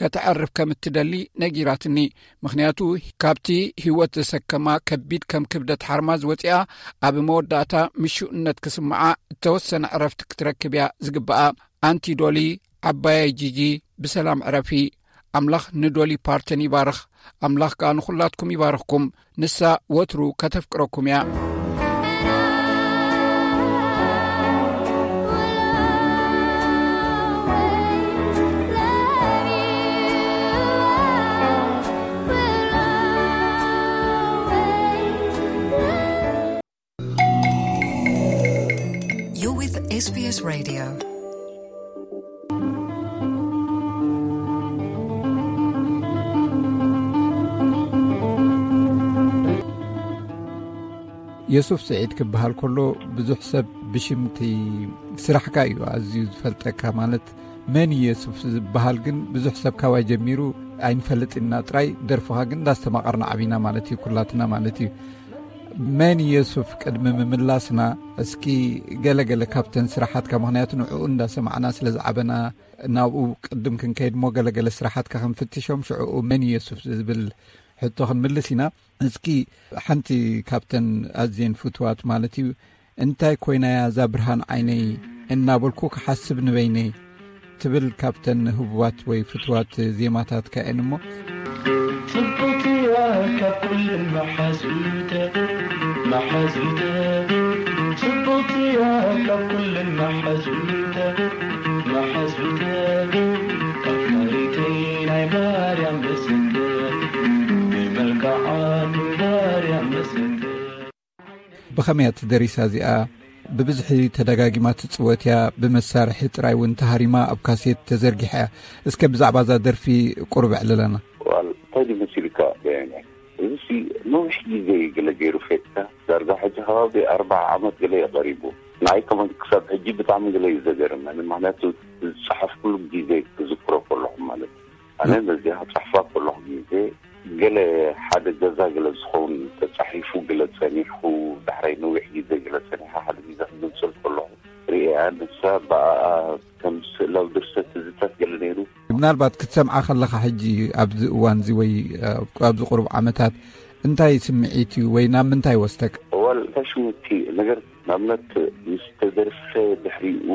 ከተዕርፍ ከም እትደሊ ነጊራትኒ። ምኽንያቱ ካብቲ ህይወት ዘሰከማ ከቢድ ከም ክብደት ሓርማዝ ወጺኣ ኣብ መወዳእታ ምሹእነት ክስምዓ እተወሰነ ዕረፍቲ ክትረክብ እያ ዝግብኣ። ኣንቲ ዶሊ ዓባየይ ጂጂ ብሰላም ዕረፊ። ኣምላኽ ንዶሊ ፓርተን ይባርኽ። ኣምላኽ ከኣ ንኹላትኩም ይባርኽኩም። ንሳ ወትሩ ከተፍቅረኩም እያ። You're with S B S Radio. የሱፍ ስዒድ ክበሃል ከሎ ብዙሕ ሰብ ብሽምቲ ስራሕካ እዩ ኣዝዩ ዝፈልጠካ። ማለት መን እዩ የሱፍ ዝበሃል ግን ብዙሕ ሰብ ካባይ ጀሚሩ ኣይንፈልጥ ኢና ጥራይ፣ ደርፍኻ ግን እንዳስተማቐርና ዓቢና ማለት እዩ፣ ኩላትና ማለት እዩ። መን የሱፍ ቅድሚ ምምላስና እስኪ ገለገለ ካብተን ስራሓትካ፣ ምኽንያቱ ንዕኡ እንዳሰማዕና ስለ ዝዓበና ናብኡ ቅድም ክንከይድ እሞ ገለገለ ስራሓትካ ክንፍትሾም ሽዕኡ መን የሱፍ ዝብል ሕቶ ክንምልስ ኢና። እስኪ ሓንቲ ካብተን ኣዝየን ፍትዋት ማለት እዩ፣ እንታይ ኮይናያ እዛ ብርሃን ዓይነይ እናበልኩ ክሓስብ ንበይነይ ትብል ካብተን ህቡባት ወይ ፍትዋት ዜማታትካ እየን እሞ። ጽብቕቲ እያ ካብ ኩለን መሓዙተ መሓዙተ ጽብቕቲ እያ ካብ ኩለን መሓዙተ መሓዙተ ከመይ እያ ትደሪሳ እዚኣ? ብብዝሒ ተደጋጊማ ትጽወት እያ። ብመሳርሒ ጥራይ እውን ተሃሪማ ኣብ ካሴት ተዘርጊሓ እያ። እስከ ብዛዕባ እዛ ደርፊ ቁሩብ ኣዕልለና። ዋል እንታይ ድዩ መሲልካ? በያኛ እዚ ሲ ነዊሕ ግዜ እዩ ገለ ገይሩ ፌትካ። ዳርጋ ሕጂ ከባቢ ኣርባዓ ዓመት ገለ እዩ ቀሪቡ። ንኣይ ከመን ክሳብ ሕጂ ብጣዕሚ ገለ እዩ ዘገርመኒ። ምክንያቱ ዝጸሓፍኩሉ ግዜ ክዝክሮ ከለኹ ማለት እዩ። ኣነ ነዚኣ ክጽሕፋ ከለኹ ግዜ ገለ ሓደ ገዛ ገለ ዝኸውን ተጻሒፉ ገለ ጸኒሑ ዳሕራይ ነዊሕ ግዜ ገለ ጸኒሓ ሓደ ግዜ ክገልጸል ከለኹ ርእያ ንሳ ብኣኣ ከም ስእላዊ ድርሰት ትዝታት ገለ ነይሩ። ምናልባት ክትሰምዓ ከለኻ ሕጂ ኣብዚ እዋን እዚ ወይ ኣብዚ ቁሩብ ዓመታት እንታይ ስምዒት እዩ ወይ ናብ ምንታይ ወስደካ? እዋል እንታይ ሽምቲ ነገር ንኣብነት ምስ ተደርፈ ድሕሪኡ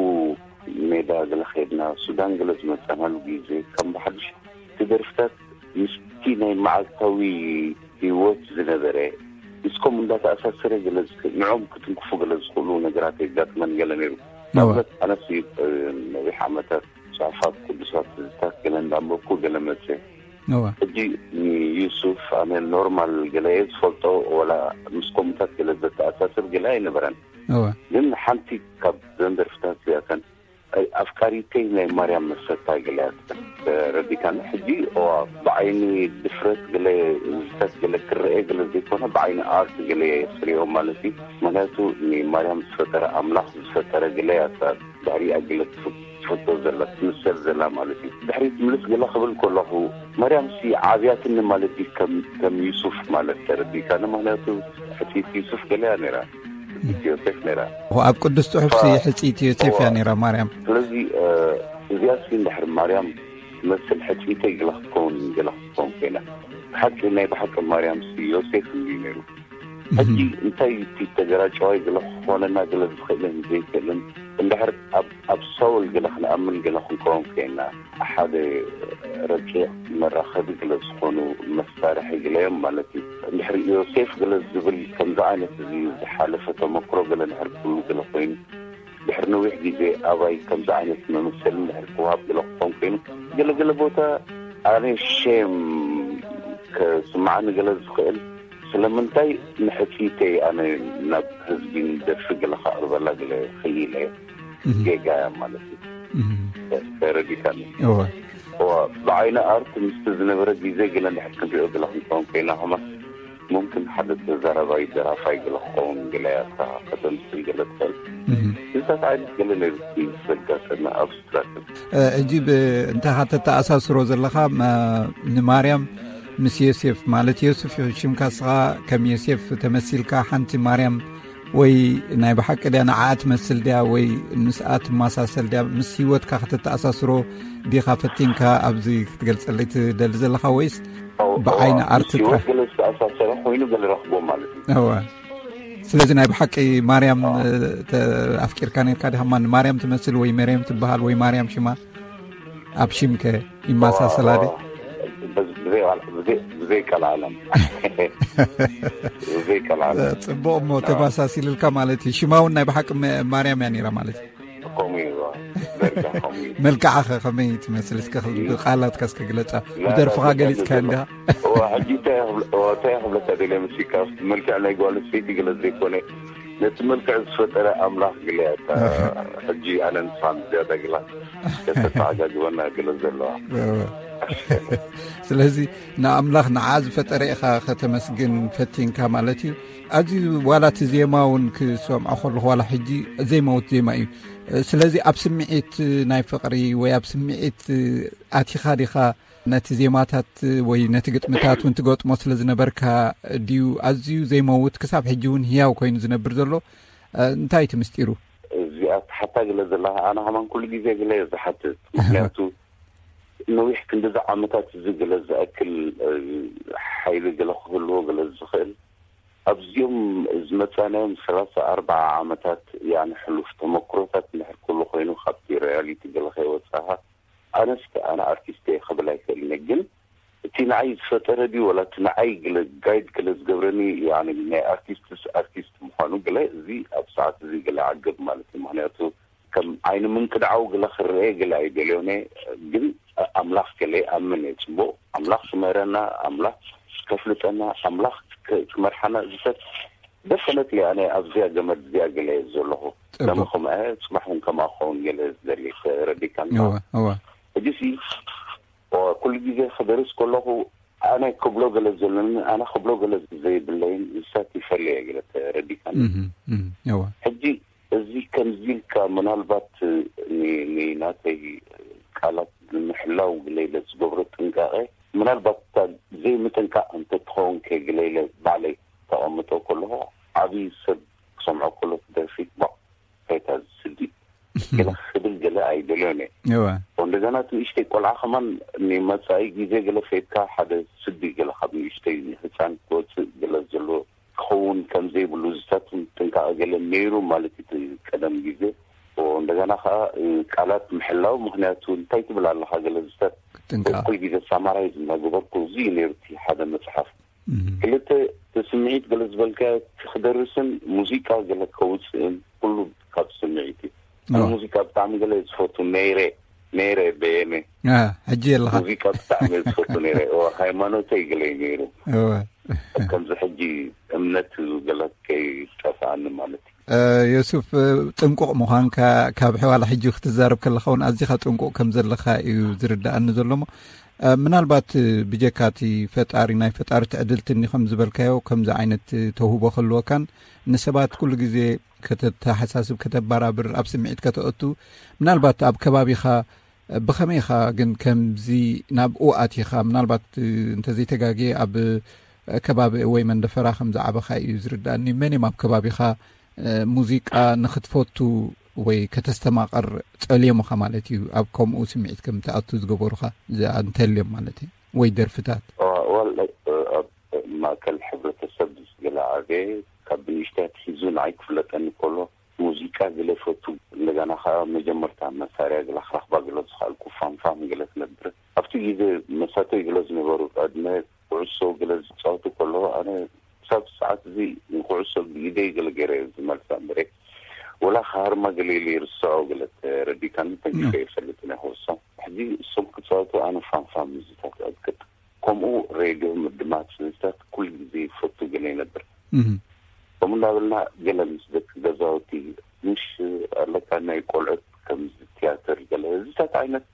ሜዳ ገለ ኸድና ሱዳን ገለ ዝመጻናሉ ግዜ ከም ብሓድሽ እቲ ደርፍታት ምስቲ ናይ መዓልታዊ ህይወት ዝነበረ ምስ ከምኡ እንዳተኣሳሰረ ገለ ዝክ- ንዕኦም ክትንክፉ ገለ ዝኽእሉ ነገራት የጋጥመን ገለ ነይሩ። እወ። ንኣብነት ኣነስ ነዊሕ ዓመታት ጽሑፋት ቅዱሳት ትዝታት ገለ እንዳንበብኩ ገለ መጽእ። እወ። ሕጂ ንዩሱፍ ኣነ ኖርማል ገለ እየ ዝፈልጦ፣ ወላ ምስ ከምኡታት ገለ ዘተኣሳስር ገለ ኣይነበረን። እወ። ግን ሓንቲ ካብ ዘን ደርፍታት እዚኣተን ኣፍቃሪተይ ናይ ማርያም መሰታ ገለ እያ ትብል። ተረዲካኒ? ሕጂ እዋ ብዓይኒ ድፍረት ገለ ዝፈት ገለ ክረአ ገለ ዘይኮነ ብዓይኒ ኣርት ገለ እየ ዝሪኦ ማለት እዩ። ምክንያቱ ንማርያም ዝፈጠረ ኣምላኽ ዝፈጠረ ገለ እያ እታ ድሕሪኣ ገለ ትፍ- ትፍቶ ዘላ ትምሰል ዘላ ማለት እዩ። ድሕሪት ምልስ ገለ ክብል ከለኹ ማርያም ሲ ዓብያትኒ ማለት እዩ ከም ከም ዩሱፍ ማለት ተረዲካኒ? ምክንያቱ ሕፅይቲ ዩሱፍ ገለ እያ ነይራ። ሕፅይቲ ዮሴፍ ነይራ። ኣብ ቅዱስ ጽሑፍ ሲ ሕጽይቲ ዮሴፍ እያ ነይራ ማርያም። ስለዚ እዚኣ ሲ እንድሕር ማርያም ትመስል ሕጽይተይ ገላ ክትከውን ገላ ክትከውን ኮይና ብሓቂ ናይ ብሓቂ ማርያም ሲ ዮሴፍ እንዲ ነይሩ። ሕጂ እንታይ እቲ ተገራጨዋይ ገለ ክኾነና ገለ ዝኽእልን ዘይክእልን እንድሕር ኣብ ኣብ ሳውል ገለ ክንኣምን ገለ ክንከውን ኮይና ሓደ ረቂቕ መራኸቢ ገለ ዝኾኑ መሳርሒ ገለ እዮም ማለት እዩ። እንድሕር ዮሴፍ ገለ ዝብል ከምዚ ዓይነት እዚ ዝሓለፈ ተመክሮ ገለ እንድሕር ክህሉ ገለ ኮይኑ ድሕሪ ነዊሕ ግዜ ኣባይ ከምዚ ዓይነት መመሰሊ እንድሕር ክወሃብ ገለ ክኾን ኮይኑ ገለገለ ቦታ ኣነ ሼም ከስምዓኒ ገለ ዝኽእል ስለምንታይ ንሕፅይተይ ኣነ ናብ ህዝቢ ንደርፊ ገለ ከቕርበላ ገለ ክኢለ ጌጋ እያ ማለት እዩ። ተረዲካኒ? እወ። እዋ ብዓይኒ ኣርት ምስቲ ዝነበረ ግዜ ገለ እንድሕር ክንሪኦ ገለ ክንከውን ኮይና ከማን ሙምክን ሓደ ተዛራባይ ደራፋይ ገለ ክኸውን ገለ እያ እታ ከተምስል ገለ ትኽእል። እዚታት ዓይነት ገለ ነይሩ ዘጋጠመ ኣብስትራክት። ሕጂ እንተ ተተኣሳስሮ ዘለኻ ንማርያም ምስ ዮሴፍ ማለት ዮሴፍ ሽምካ ስኻ ከም ዮሴፍ ተመሲልካ ሓንቲ ማርያም ወይ ናይ ብሓቂ ድያ ንዓኣ ትመስል ድያ ወይ ምስኣ ትመሳሰል ድያ ምስ ህይወትካ ከተተኣሳስሮ ዲኻ ፈቲንካ ኣብዚ ክትገልጸለይ ትደሊ ዘለኻ ወይስ ብዓይኒ ኣርት ጥራሕ? ገለ ዝተኣሳሰረ ኮይኑ ገለ ረኽቦ ማለት እዩ። እወ። ስለዚ ናይ ብሓቂ ማርያም ኣፍቂርካ ነርካ ዲኻ? ማን ማርያም ትመስል ወይ መርየም ትበሃል ወይ ማርያም ሽማ ኣብ ሽምከ ይመሳሰላ ዲ? ብዘይ ቀልዓለም ብዘይ ቀልዓለም። ጽቡቕ እሞ ተመሳሲልልካ ማለት እዩ። ሽማ እውን ናይ ብሓቂ ማርያም እያ ነይራ ማለት እዩ። ከምኡ እዩ። መልክዓ ኸ ከመይ ትመስል? እስከ ብቃላትካ እስከ ግለጻ። ብደርፍኻ ገሊጽካ እንዲኻ። ሕጂ እንታይ ክብለካ ደልየ መሲካ መልክዕ ናይ ጓል ሰይቲ ገለ ዘይኮነ ነቲ መልክዕ ዝፈጠረ ኣምላኽ ግለ እያ። ሕጂ ኣነ ንስኻ ዝያዳ ግላ ከተተዓጋግበና ገለ ዘለዋ። ስለዚ ንኣምላኽ ንዓ ዝፈጠረ ኢኻ ከተመስግን ፈቲንካ ማለት እዩ። ኣዚ ዋላ እቲ ዜማ እውን ክሰምዖ ከለኹ ዋላ ሕጂ ዜማውት ዜማ እዩ። ስለዚ ኣብ ስምዒት ናይ ፍቕሪ ወይ ኣብ ስምዒት ኣቲኻ ዲኻ ነቲ ዜማታት ወይ ነቲ ግጥምታት እውን ትገጥሞ ስለ ዝነበርካ ድዩ ኣዝዩ ዘይመውት ክሳብ ሕጂ እውን ህያው ኮይኑ ዝነብር ዘሎ? እንታይ እቲ ምስጢሩ? እዚኣ ትሓታ ገለ ዘለኻ ኣነ ከማን ኩሉ ግዜ ገለ እየ ዝሓትት። ምክንያቱ ነዊሕ ክንዲዚ ዓመታት እዚ ገለ ዝኣክል ሓይሊ ገለ ክህልዎ ገለ ዝኽእል ኣብዚኦም ዝመጻናዮም ሰላሳ ኣርባዓ ዓመታት ያኒ ሕሉፍ ተመክሮታት እንድሕር ኩሉ ኮይኑ ካብቲ ሪያሊቲ ገለ ከይወጻኻ ኣነስ ኣነ ኣርቲስት እየ ክብል ኣይክእልን እየ። ግን እቲ ንዓይ ዝፈጠረ ድዩ ወላ እቲ ንዓይ ገለ ጋይድ ገለ ዝገብረኒ ያኒ ናይ ኣርቲስትስ ኣርቲስት ምዃኑ ገለ እዚ ኣብ ሰዓት እዚ ገለ ዓገብ ማለት እዩ። ምክንያቱ ከም ዓይኒ ምንቅድዓው ገለ ክረአ ገለ ኣይደልዮን እየ። ግን ኣምላኽ ገለ ይኣምን እየ። ጽቡቕ ኣምላኽ ክምህረና ኣምላኽ ከፍልጠና ኣምላኽ ክመርሓና ዝፈት ደፈነት ኣነ ኣብዚኣ ገመድ እዚኣ ገለ ዘለኹ። ጽቡቕ። ለመኸም ጽባሕ እውን ከማኸውን ገለ ዝደሊ ተረዲካን። እዋ፣ እዋ። ሕጂሲ ኩሉ ግዜ ክደርስ ከለኹ ኣነ ክብሎ ገለ ዘለኒ ኣነ ክብሎ ገለ ዘይብለይን ንሳት ይፈለየ ገለ ተረዲካን። እዋ። ሕጂ እዚ ከምዚ ኢልካ ምናልባት ንናተይ ቃላት ንምሕላው ግለይለ ዝገብሮ ጥንቃቐ ምናልባት እታ ዘይምጥንቃቕ እንተትኸውን ከ ግለይለ ባዕለይ ተቐምጦ ከለኹ ዓብዪ ሰብ ክሰምዖ ከሎ ትደርፊ ባዕ ከይታ ዝስዲ ገለ ክብል ገለ ኣይደልዮን እየ። እወ። እንደገና እቲ ንእሽተይ ቆልዓ ከማን ንመጻኢ ግዜ ገለ ከይድካ ሓደ ስዲ ገለ ካብ ንእሽተይ ንህፃን ክወፅእ ገለ ዘሎ ክኸውን ከም ዘይብሉ ዝሳቱን ጥንቃቐ ገለ ነይሩ ማለት እዩ። እቲ ቀደም ግዜ እንደገና ከዓ ቃላት ምሕላው ምክንያቱ እንታይ ትብል ኣለካ ገለ ዝሳት ጥንቃ ኩል ግዜ ሳማራይዝ እናገበርኩ እዚ እዩ ነይሩ እቲ ሓደ መፅሓፍ። ክልተ እቲ ስምዒት ገለ ዝበልካዮ እቲ ክደርስን ሙዚቃ ገለ ከውፅእን ኩሉ ካብ ስምዒት እዩ። ኣነ ሙዚቃ ብጣዕሚ ገለ ዝፈቱ ነይረ ነይረ በየነ ሕጂ የለኻ። ሙዚቃ ብጣዕሚ ዝፈቱ ነይረ ሃይማኖተይ ገለ እዩ ነይሩ። ከምዚ ሕጂ እምነት ገለ ከይጠፍኣኒ ማለት እዩ። ዮሱፍ፣ ጥንቁቕ ምዃንካ ካብ ሕዋላ ሕጂ ክትዛረብ ከለኻ እውን ኣዚኻ ጥንቁቕ ከም ዘለኻ እዩ ዝርዳኣኒ ዘሎ። እሞ ምናልባት ብጀካ እቲ ፈጣሪ ናይ ፈጣሪ ትዕድልቲ እኒ ከም ዝበልካዮ ከምዚ ዓይነት ተውህቦ ክህልወካን ንሰባት ኩሉ ግዜ ከተተሓሳስብ ከተባራብር ኣብ ስምዒት ከተእቱ ምናልባት ኣብ ከባቢኻ ብኸመይ ኢኻ ግን ከምዚ ናብኡ ኣቲኻ ምናልባት እንተዘይተጋግየ ኣብ ከባቢ ወይ መንደፈራ ከም ዝዓበኻ እዩ ዝርዳእኒ። መን እዮም ኣብ ከባቢኻ ሙዚቃ ንኽትፈቱ ወይ ከተስተማቐር ጸልዮምኻ ማለት እዩ ኣብ ከምኡ ስምዒት ከም ትኣቱ ዝገበሩኻ እንተልዮም ማለት እዩ ወይ ደርፍታት? ዋል ኣብ ማእከል ሕብረተሰብ ዝገለ ዓበየ ካብ ብንእሽተይ ኣትሒዙ ንዓይ ክፍለጠኒ ከሎ ሙዚቃ ገለ ይፈቱ እንደገና ከዓ መጀመርታ መሳርያ ገለ ክረኽባ ገለ ዝኽኣልኩ ፋንፋን ገለ ትነብር ኣብቲ ግዜ መሳተይ ገለ ዝነበሩ ዕድመ ኩዕሶ ገለ ዝፃወቱ ከለዉ ኣነ ክሳብ ሰዓት እዚ ንኩዕሶ ብኢደይ ገለ ገይረ ዝመልሳ እምበረ ወላ ክሃርማ ገለ ኢለ ይርስዖ ገለ ተረዲካኒ ተንኪፈ ይፈልጥ ናይ ኩዕሶ ሕዚ እሶም ክፃወቱ ኣነ ፋንፋን ምዝታት ዕጥቅጥ ከምኡ ሬድዮ ምድማፅ ምዝታት ኩሉ ግዜ ይፈቱ ገለ ይነብር ከምኡ እናበልና ገለ ምስ ደቂ ገዛውቲ ምሽ ኣለካ ናይ ቆልዑት ከምዚ ትያትር ገለ እዚታት ዓይነት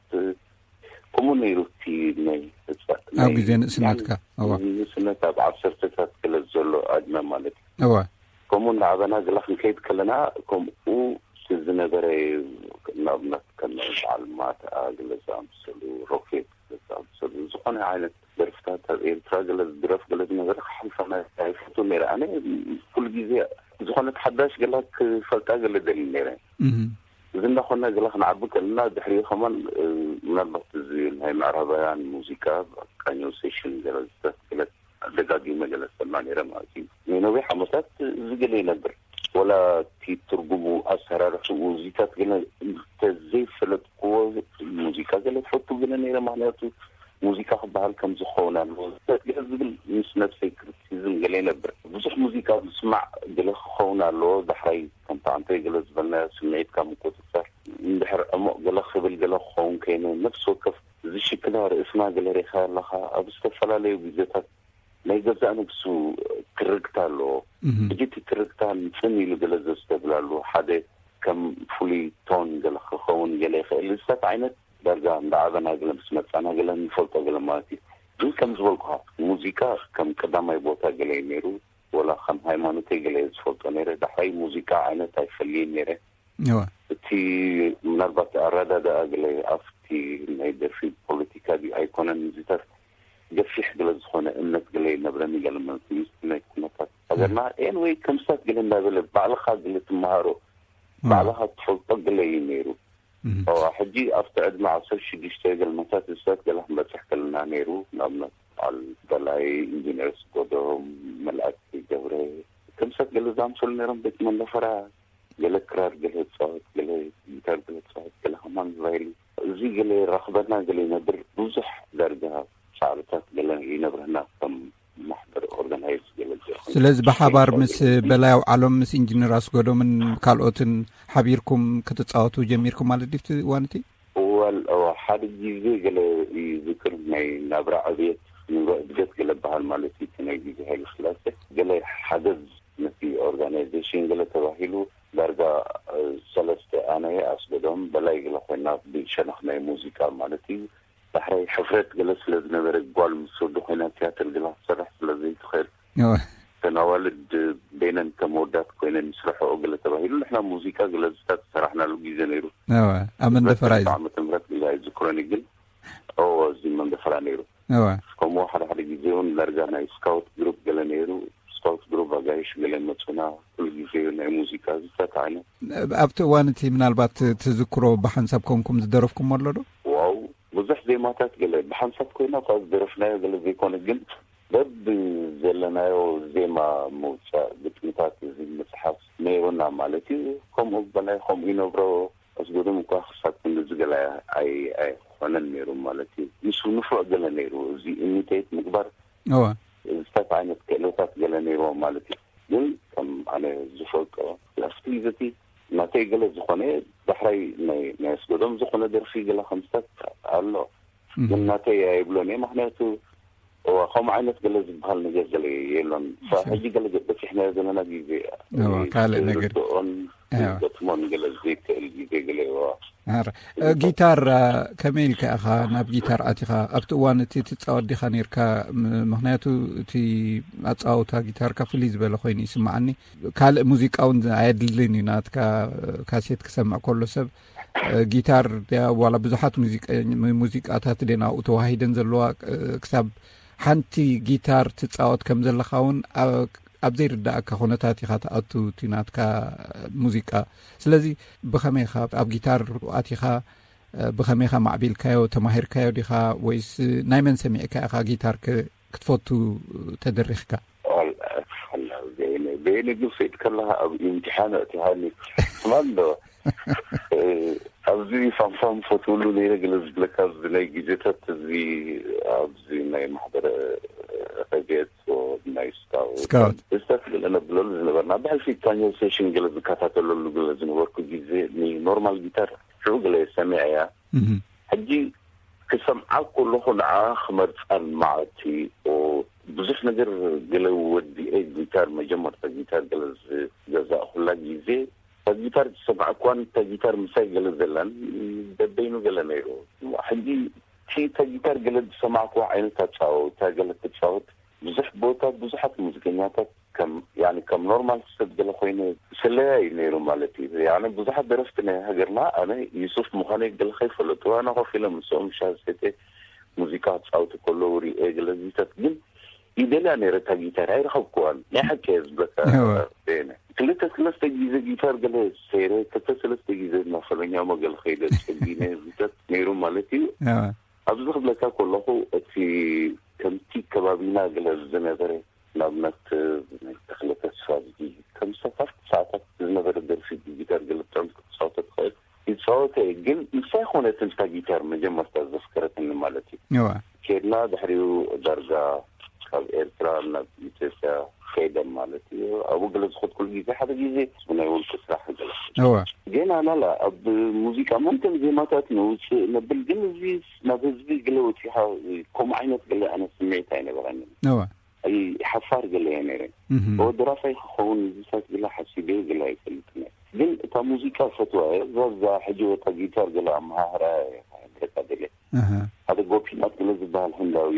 ከምኡ ነይሩ እቲ ናይ ህፃ- ኣብ ናይ- ግዜ ንእስነትካ? እዋ። ንእስነት ኣብ ዓሰርተታት ገለ ዘሎ ዕድመ ማለት እዩ። እዋ። ከምኡ እናዓበና ገለ ክንከይድ ከለና ከምኡ ዝነበረ ንኣብነት ከም በዓል ማትኣ ገለ ዝኣምሰሉ ሮኬት ገለ ዝኣምሰሉ ዝኾነ ዓይነት ደርፍታት ኣብ ኤርትራ ገለ ዝድረፍ ገለ ዝነበረ ክሓልፈና ኣይፈቱ ነይረ ኣነ ኩሉ ግዜ ዝኾነት ሓዳሽ ገላ ክፈልጣ ገለ ደሊ ነይረ እዚ እናኾነ ገላ ክንዓቢ ከለና ድሕሪኡ ከማን ምናልባት እዚ ናይ ምዕራባውያን ሙዚቃ ቃኞ ሴሽን ገለ ዝተስክለት ደጋጊመ ገለ ሰማ ነይረ ማለት እዩ ንነዊሕ ዓመታት እዚ ገለ ይነብር ወላ እቲ ትርጉሙ ኣሰራርሕኡ እዚታት ገለ እንተዘይፈለጥክዎ ሙዚቃ ገለ ትፈቱ ገለ ነይረ ምክንያቱ ሙዚቃ ክበሃል ከም ዝኸውን ኣለዎ ዝፈት ገለ ዝብል ምስ ነብሰይ ክርቲሲዝም ገለ ይነብር ብዙሕ ሙዚቃ ምስማዕ ገለ ክኸውን ኣለዎ ዳሕራይ ከምቲ ኣንተ ገለ ዝበልናዮ ስምዒትካ ምቁፅፀር እንድሕር ዕሙቕ ገለ ክብል ገለ ክኸውን ከይኑ ነብሲ ወከፍ ዝሽክላ ርእስና ገለ ሪኻ ኣለኻ ኣብ ዝተፈላለዩ ግዜታት ናይ ገዛእ ነብሱ ትርግታ ኣለዎ ሕጂ እቲ ትርግታ ንፅን ኢሉ ገለ ዘስተብላሉ ሓደ ከም ፍሉይ ቶን ገለ ክኸውን ገለ ይኽእል እዚታት ዓይነት ዳርጋ እንዳዓበና ገለ ምስ መፃና ገለ ንፈልጦ ገለ ማለት እዩ ግን ከም ዝበልኩኻ ሙዚቃ ከም ቀዳማይ ቦታ ገለ እዩ ነይሩ ወላ ከም ሃይማኖተይ ገለ እየ ዝፈልጦ ነይረ ዳሕራይ ሙዚቃ ዓይነት ኣይፈልይን ነይረ እዋ እቲ ምናልባት ኣረዳድኣ ገለ ኣብቲ ናይ ደርፊ ፖለቲካ ድዩ ኣይኮነን እዚታት ገፊሕ ገለ ዝኾነ እምነት ገለ ይነብረኒ ገለ ማለት እዩ ናይ ኩነታት ሃገርና ኤን ወይ ከምስታት ገለ እንዳበለ ባዕልኻ ገለ ትመሃሮ ባዕልኻ ትፈልጦ ገለ እዩ ነይሩ ሕጂ ኣብቲ ዕድመ ዓሰርተ ሽዱሽተ ገልመታት እሳት ገለ ክንበፅሕ ከለና ነይሩ ንኣብነት በዓል በላይ ኢንጂነር ስጎዶም መልኣክ ገብረ ከምሰት ገለ ዝኣምሰሉ ነይሮም ቤት መንደፈራ ገለ ክራር ገለ ዝፃወት ገለ ጊታር ገለ ዝፃወት ገለ ከማን ቫይሊ እዚ ገለ ይራኽበና ገለ ይነብር ብዙሕ ዳርጋ ሳዕርታት ገለ ይነብረና ከም ማሕበር ኦርጋናይዝ ገለ ስለዚ ብሓባር ምስ በላይ ኣውዓሎም ምስ ኢንጂነር ኣስጎዶምን ካልኦትን ሓቢርኩም ክትፃወቱ ጀሚርኩም ማለት ድዩ እዋንቲ? እዋል ሓደ ግዜ ገለ ይዝክር ናይ ናብራ ዕብየት ንሮ ዕድገት ገለ በሃል ማለት እዩ ናይ ግዜ ሃይለ ስላሴ ገለ ሓገዝ ነቲ ኦርጋናይዜሽን ገለ ተባሂሉ ዳርጋ ሰለስተ፣ ኣነ፣ ኣስገዶም፣ በላይ ገለ ኮይና ብሸነኽ ናይ ሙዚቃ ማለት እዩ። ዳሕራይ ሕፍረት ገለ ስለ ዝነበረ፣ ጓል ምስ ወዲ ኮይና ቲያትር ገለ ክትሰርሕ ስለ ዘይትኽእል፣ ተናዋልድ በይነን ከም ወዳት ኮይነን ይስርሐኦ ገለ ተባሂሉ፣ ንሕና ሙዚቃ ገለ ዝታት ዝሰራሕናሉ ግዜ ነይሩ። ኣብ መንደፈራ እዩ። ዓመተ ምህረት ግዜ ኣይዝክሮን እዩ፣ ግን እዚ መንደፈራ ነይሩ። ከምኡ ሓደ ሓደ ግዜ እውን ዳርጋ ናይ ስካውት ግሩፕ ገለ ነይሩ። ስካውት ግሩፕ ኣጋይሽ ገለ መፁና። ኩሉ ግዜ ናይ ሙዚቃ ዝታት ዓይነት። ኣብቲ እዋን እቲ ምናልባት ትዝክሮ ብሓንሳብ ኮንኩም ዝደረፍኩም ኣሎ ዶ? ዋው፣ ብዙሕ ዜማታት ገለ ብሓንሳብ ኮይና እኳ ዝደረፍናዮ ገለ ዘይኮነ፣ ግን በብ ዘለናዮ ዜማ ምውፃእ፣ ግጥምታት እዚ ምፅሓፍ ነይሩና ማለት እዩ። ከምኡ በላይ ከምኡ ይነብሮ ኣስጎዶም እኳ ክሳብ ክንድዚ ገለ ኣይ ኣይኮነን ነይሩ ማለት እዩ። ምስ ንፉዕ ገለ ነይሩ፣ እዚ ኢሚቴት ምግባር እወ ዝታት ዓይነት ክእለታት ገለ ነይርዎ ማለት እዩ። ግን ከም ኣነ ዝፈልጦ ኣብቲ ግዜ እቲ ናተይ ገለ ዝኾነ ዳሕራይ ናይ ናይ ኣስጎዶም ዝኾነ ደርፊ ገለ ከምስታት ኣሎ። ግን ናተይ ኣይብሎን እየ፣ ምክንያቱ እዋ ከምኡ ዓይነት ገለ ዝበሃል ነገር ገለ የሎን። ሕጂ ገለ በፂሕናዮ ዘለና ግዜ እዋ፣ ካልእ ነገር። ርድኦን እዋ። ገጥሞን ገለ ዘይክእል ግዜ ገለ እዋ። ኣረ፣ እ፣ ጊታር፣ እ፣ ከመይ ኢልካ ኢኻ ናብ ጊታር ኣቲኻ? ኣብቲ እዋን እቲ ትጻወት ዲኻ ነይርካ? ም-፣ ምኽንያቱ እቲ ኣጻወታ ጊታርካ ፍልይ ዝበለ ኮይኑ ይስምዓኒ። ካልእ ሙዚቃ እውን ኣየድልን እዩ። ናትካ፣ እ፣ ካሴት ክሰምዕ ከሎ ሰብ፣ እ፣ ጊታር ድያ ዋላ ብዙሓት ሙዚቀ-፣ ሙ-፣ ሙዚቃታት ድየን ኣብኡ ተዋሂደን ዘለዋ፣ እ፣ ክሳብ ሓንቲ ጊታር ትጻወት ከም ዘለኻ እውን ኣብ ኣብ ዘይርዳእካ ኩነታት ኢኻ ትኣቱ እቲ ናትካ ሙዚቃ። ስለዚ ብኸመይ ኢኻ ኣብ ጊታር ኣቲኻ? ብኸመይ ኢኻ ማዕቢልካዮ? ተማሂርካዮ ዲኻ ወይስ ናይ መን ሰሚዕካ ኢኻ ጊታር ክ-፣ ክትፈቱ ተደሪኽካ? ዋላ፣ ዋላ፣ በየነ፣ በየነ ግን ፈይድ ከለኻ ኣብ ኢምትሓን ኣእቲኻኒ። ስማ ኣሎ። እ፣ ኣብዚ ፋምፋም ፈትውሉ ነይረ ገለ ዝብለካ ኣብዚ ናይ ግዜታት እዚ ኣብዚ ናይ ማሕበረ ረድኤት ናይ ስካውት ስካውት። ስታት ገለ ነብለሉ ዝነበርና ብሕልፊ ታኛው ሴሽን ገለ ዝከታተለሉ ገለ ዝነበርኩ ግዜ ንኖርማል ጊታር ሽዑ ገለ ሰሚዐያ። እህ። ሕጂ ክሰምዓ ከለኹ ንዓ ክመርፃን መዓልቲ ኦ፣ ብዙሕ ነገር ገለ ወዲኤ ጊታር መጀመርታ ጊታር ገለ ዝገዛእኩላ ግዜ እታ ጊታር ዝሰማዕኩዋን እታ ጊታር ምሳይ ገለ ዘላን በበይኑ ገለ ነይሩ። ሕጂ እቲ እታ ጊታር ገለ ዝሰማዕኩዋ ዓይነት ኣጻዋውታ ገለ ትጻወት ብዙሕ ቦታ ብዙሓት ሙዚቀኛታት ከም ያኒ ከም ኖርማል ሰብ ገለ ኮይነ ስለያ እዩ ነይሩ ማለት እዩ። ያኒ ብዙሓት ደረፍቲ ናይ ሃገርና ኣነ ዩሱፍ ምዃነይ ገለ ከይፈለጡ ኣነ ኮፍ ኢለ ምስኦም ሻሂ ሰትየ ሙዚቃ ክጻወቱ ከለዉ ሪኤ ገለ ዚታት ግን ይደልያ ነይረ እታ ጊታር ኣይረኸብኩዋን። ናይ ሓቂ እየ ዝብለካ። እወ። በየነ ክልተ ሰለስተ ግዜ ጊታር ገለ ሰይረ ክልተ ሰለስተ ግዜ እናፈለኛሞ ገለ ከይደ ጸጊነ ዚታት ነይሩ ማለት እዩ። እወ። ኣብዚ ክብለካ ከለኹ እቲ ከምቲ ከባቢና ገለ ዝነበረ ንኣብነት ተኽለ ተስፋ ዝብል ከም ሰፋሕቲ ሰዓታት ዝነበረ ደርፊ ብጊታር ገለ ብጣዕሚ ክትጻወቶ ትኽእል ይጻወተ እየ። ግን ንሳ ይኾነትን እታ ጊታር መጀመርታ ዘፍከረትኒ ማለት እዩ። እወ። ኬድና ድሕሪኡ ዳርጋ ካብ ኤርትራ ናብ ኢትዮጵያ ከይደ ማለት እዩ። ኣብኡ ገለ ዝኸድኩሉ ግዜ ሓደ ግዜ ብናይ ውልቂ ስራሕ ገለ እወ። ገና ናላ ኣብ ሙዚቃ መምተን ዜማታት ነውፅእ ነብል፣ ግን እዚ ናብ ህዝቢ ገለ ወፂኻ ከምኡ ዓይነት ገለ ኣነ ስምዒት ኣይነበረንን። እወ። ኣይ ሓፋር ገለ እየ ነይረ። እህ። ኦ ደራፋይ ክኸውን ዝሳት ገለ ሓሲበ ገለ ኣይፈልጥን እየ። ግን እታ ሙዚቃ ፈትዋ እየ። እዛ እዛ ሕጂ ወታ ጊታር ገለ ኣመሃህራ እየ ክሕብረካ ደልየ። እህ። ሓደ ጎፒናት ገለ ዝበሃል ህንዳዊ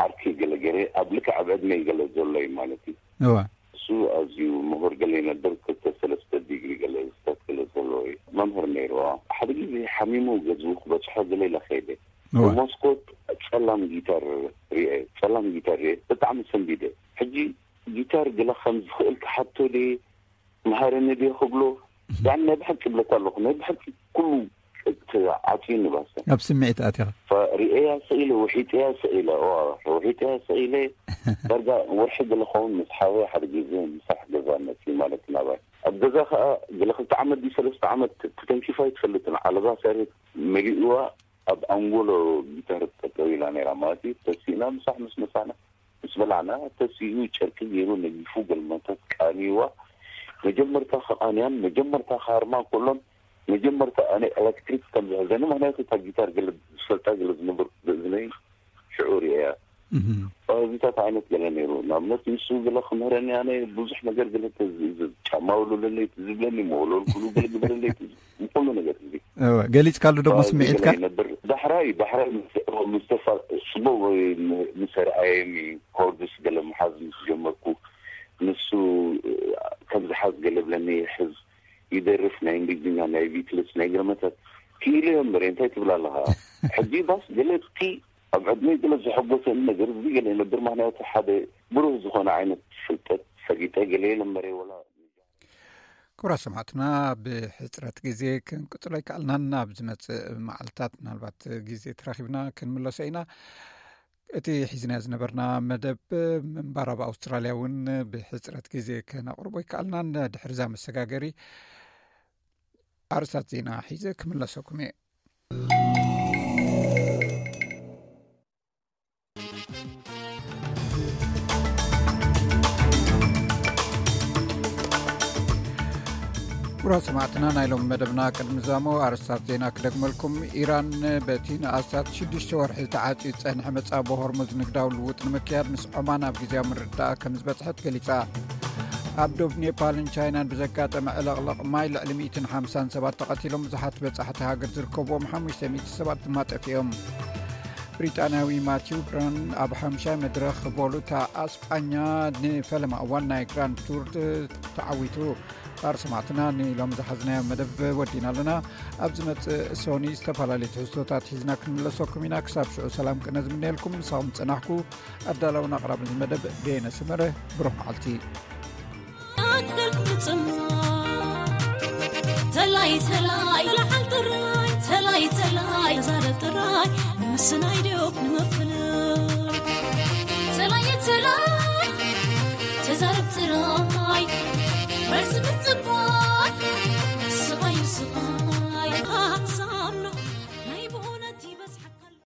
ዓርኪ ገለ ገይረ ኣብ ልክዕ ኣብ ዕድመይ ገለ ዘሎ እዩ ማለት እዩ። እወ። እሱ ኣዝዩ ምሁር ገለ ይነብር ክልተ ሰለስተ ዲግሪ ገለ ስታት ገለ ዘለዎ እዩ። መምህር ነይሩ። ሓደ ግዜ ሓሚሙ ገዝኡ ክበፅሖ ገለ ኢለ ከይደ እወ። ብመስኮት ጸላም ጊታር ሪኤ ጸላም ጊታር ሪኤ ብጣዕሚ ሰንቢደ። ሕጂ ጊታር ገለ ከም ዝኽእል ክሓቶ ድየ መሃረኒ ድየ ክብሎ ያን ናይ ብሓቂ እብለካ ኣለኹ ናይ ብሓቂ ኩሉ እቲ ዓፅዩኒ ባሰ ኣብ ስምዒት ኣቲኻ። ሪኤያ ስኢለ ውሒጠያ ስኢለ ዋ ውሒጠያ ስኢለ ዳርጋ ወርሒ ገለ ኸውን ምስ ሓወይ ሓደ ግዜ ምሳሕ ገዛ መፅዩ ማለት ናባይ ኣብ ገዛ ከዓ ገለ ክልተ ዓመት ድዩ ሰለስተ ዓመት ተተንኪፋ ይትፈልጥን ዓለባ ሰሬት መሊእዋ ኣብ ኣንጎሎ ጊታር ጠጠው ኢላ ነይራ ማለት እዩ። ተሲእና ምሳሕ ምስ መሳና ምስ በላዕና ተሲኡ ጨርቂ ገይሩ ነጊፉ ገልመታት ቃኒዋ መጀመርታ ከቃንያን መጀመርታ ከሃርማ ከሎን መጀመርታ ኣነ ኤሌክትሪክ ከም ዝሕዘኒ ምክንያቱ እታ ጊታር ገለ ዝፈልጣ ገለ ዝነበርኩ ብእዝነይ ሽዑ ርእያ እህ። እዚታት እንታይ ዓይነት ገለ ነይሩ? ንኣብነት ንሱ ገለ ክምህረኒ፣ ኣነ ብዙሕ ነገር ገለ ተዝእዝዝ፣ ጫማ ውልውለለይ ትዝብለኒ፣ መወለልኩሉ ገለ ግበረለይ ትዝ-፣ ንኩሉ ነገር እዚ። እወ፣ ገሊጽካሉ ዶ ምስ እዚ ገለ ምዒትካ? ይነብር። ዳሕራይ፣ ዳሕራይ ምስ፣ ምስ ተፋ-፣ ጽቡቕ ምስ ኣርኣየኒ፣ ኮርድስ ገለ ምሓዝ ምስ ጀመርኩ፣ ንሱ ከም ዝሓዝ ገለ ብለኒ፣ ይሕዝ፣ ይደርፍ፣ ናይ እንግሊዝኛ፣ ናይ ቢትልስ፣ ናይ ገለ መተት ክኢሉ እየ እምበር፣ እንታይ ትብል ኣለኻ? ሕጂ ባስ ገለ እቲ ኣብ ዕድመይ ገለ ዘሐጎሰኒ ነገር እዚ ገለ ይነብር፣ ምኽንያቱ ሓደ ብሩህ ዝኾነ ዓይነት ፍልጠት ፈሊጠ ገለ የለ እምበረ፣ ወላ ክቡራት ሰማዕትና፣ ብሕፅረት ግዜ ክንቅፅሎ ኣይከኣልናን። ኣብ ዝመፅእ መዓልታት ምናልባት ግዜ ተራኺብና ክንምለሶ ኢና። እቲ ሒዝናዮ ዝነበርና መደብ ምንባር ኣብ ኣውስትራልያ እውን ብሕፅረት ግዜ ከነቕርቦ ኣይከኣልናን። ድሕሪ እዛ መሰጋገሪ ኣርእስታት ዜና ሒዘ ክምለሰኩም እየ። ክቡራት ሰማዕትና፣ ናይ ሎሚ መደብና ቅድሚ ዛሞ ኣርእስታት ዜና ክደግመልኩም። ኢራን በቲ ንኣስታት ሽዱሽተ ወርሒ ተዓጽዩ ዝጸንሐ መጻቦ ሆርሙዝ ንግዳዊ ልውውጥ ንምክያድ ምስ ዖማን ኣብ ግዜያዊ ምርድዳእ ከም ዝበጽሐት ገሊጻ። ኣብ ዶብ ኔፓልን ቻይናን ብዘጋጠመ ዕለቕለቕ ማይ ልዕሊ ሚእትን ሓምሳን ሰባት ተቐቲሎም፣ ብዙሓት በጻሕቲ ሃገር ዝርከብዎም ሓሙሽተ ሚእቲ ሰባት ድማ ጠፊኦም። ብሪጣንያዊ ማቲው ብራን ኣብ ሓምሻይ መድረኽ ቮሉታ ኣስጳኛ ንፈለማ እዋን ናይ ግራንድ ቱር ተዓዊቱ። ክቡራት ሰማዕትና፣ ንሎሚ ዝሓዝናዮ መደብ ወዲና ኣለና። ኣብ ዝመጽእ ሶኒ ዝተፈላለዩ ትሕዝቶታት ሒዝና ክንምለሰኩም ኢና። ክሳብ ሽዑ ሰላም ቅነ ዝምነየልኩም፣ ንሳኹም ዝጸናሕኩ ኣዳላውን ኣቕራብን መደብ ደየነ ሰመረ። ብሩኽ መዓልቲ። ተላይ ተላይ ለዓል ጥራይ፣ ተላይ ተላይ ተዛረብ ጥራይ፣ ንምስናይ ድዮብ ንምፍላይ። ተላይ ተላይ ተዛረብ ጥራይ፣ መልሲ ምጽባይ።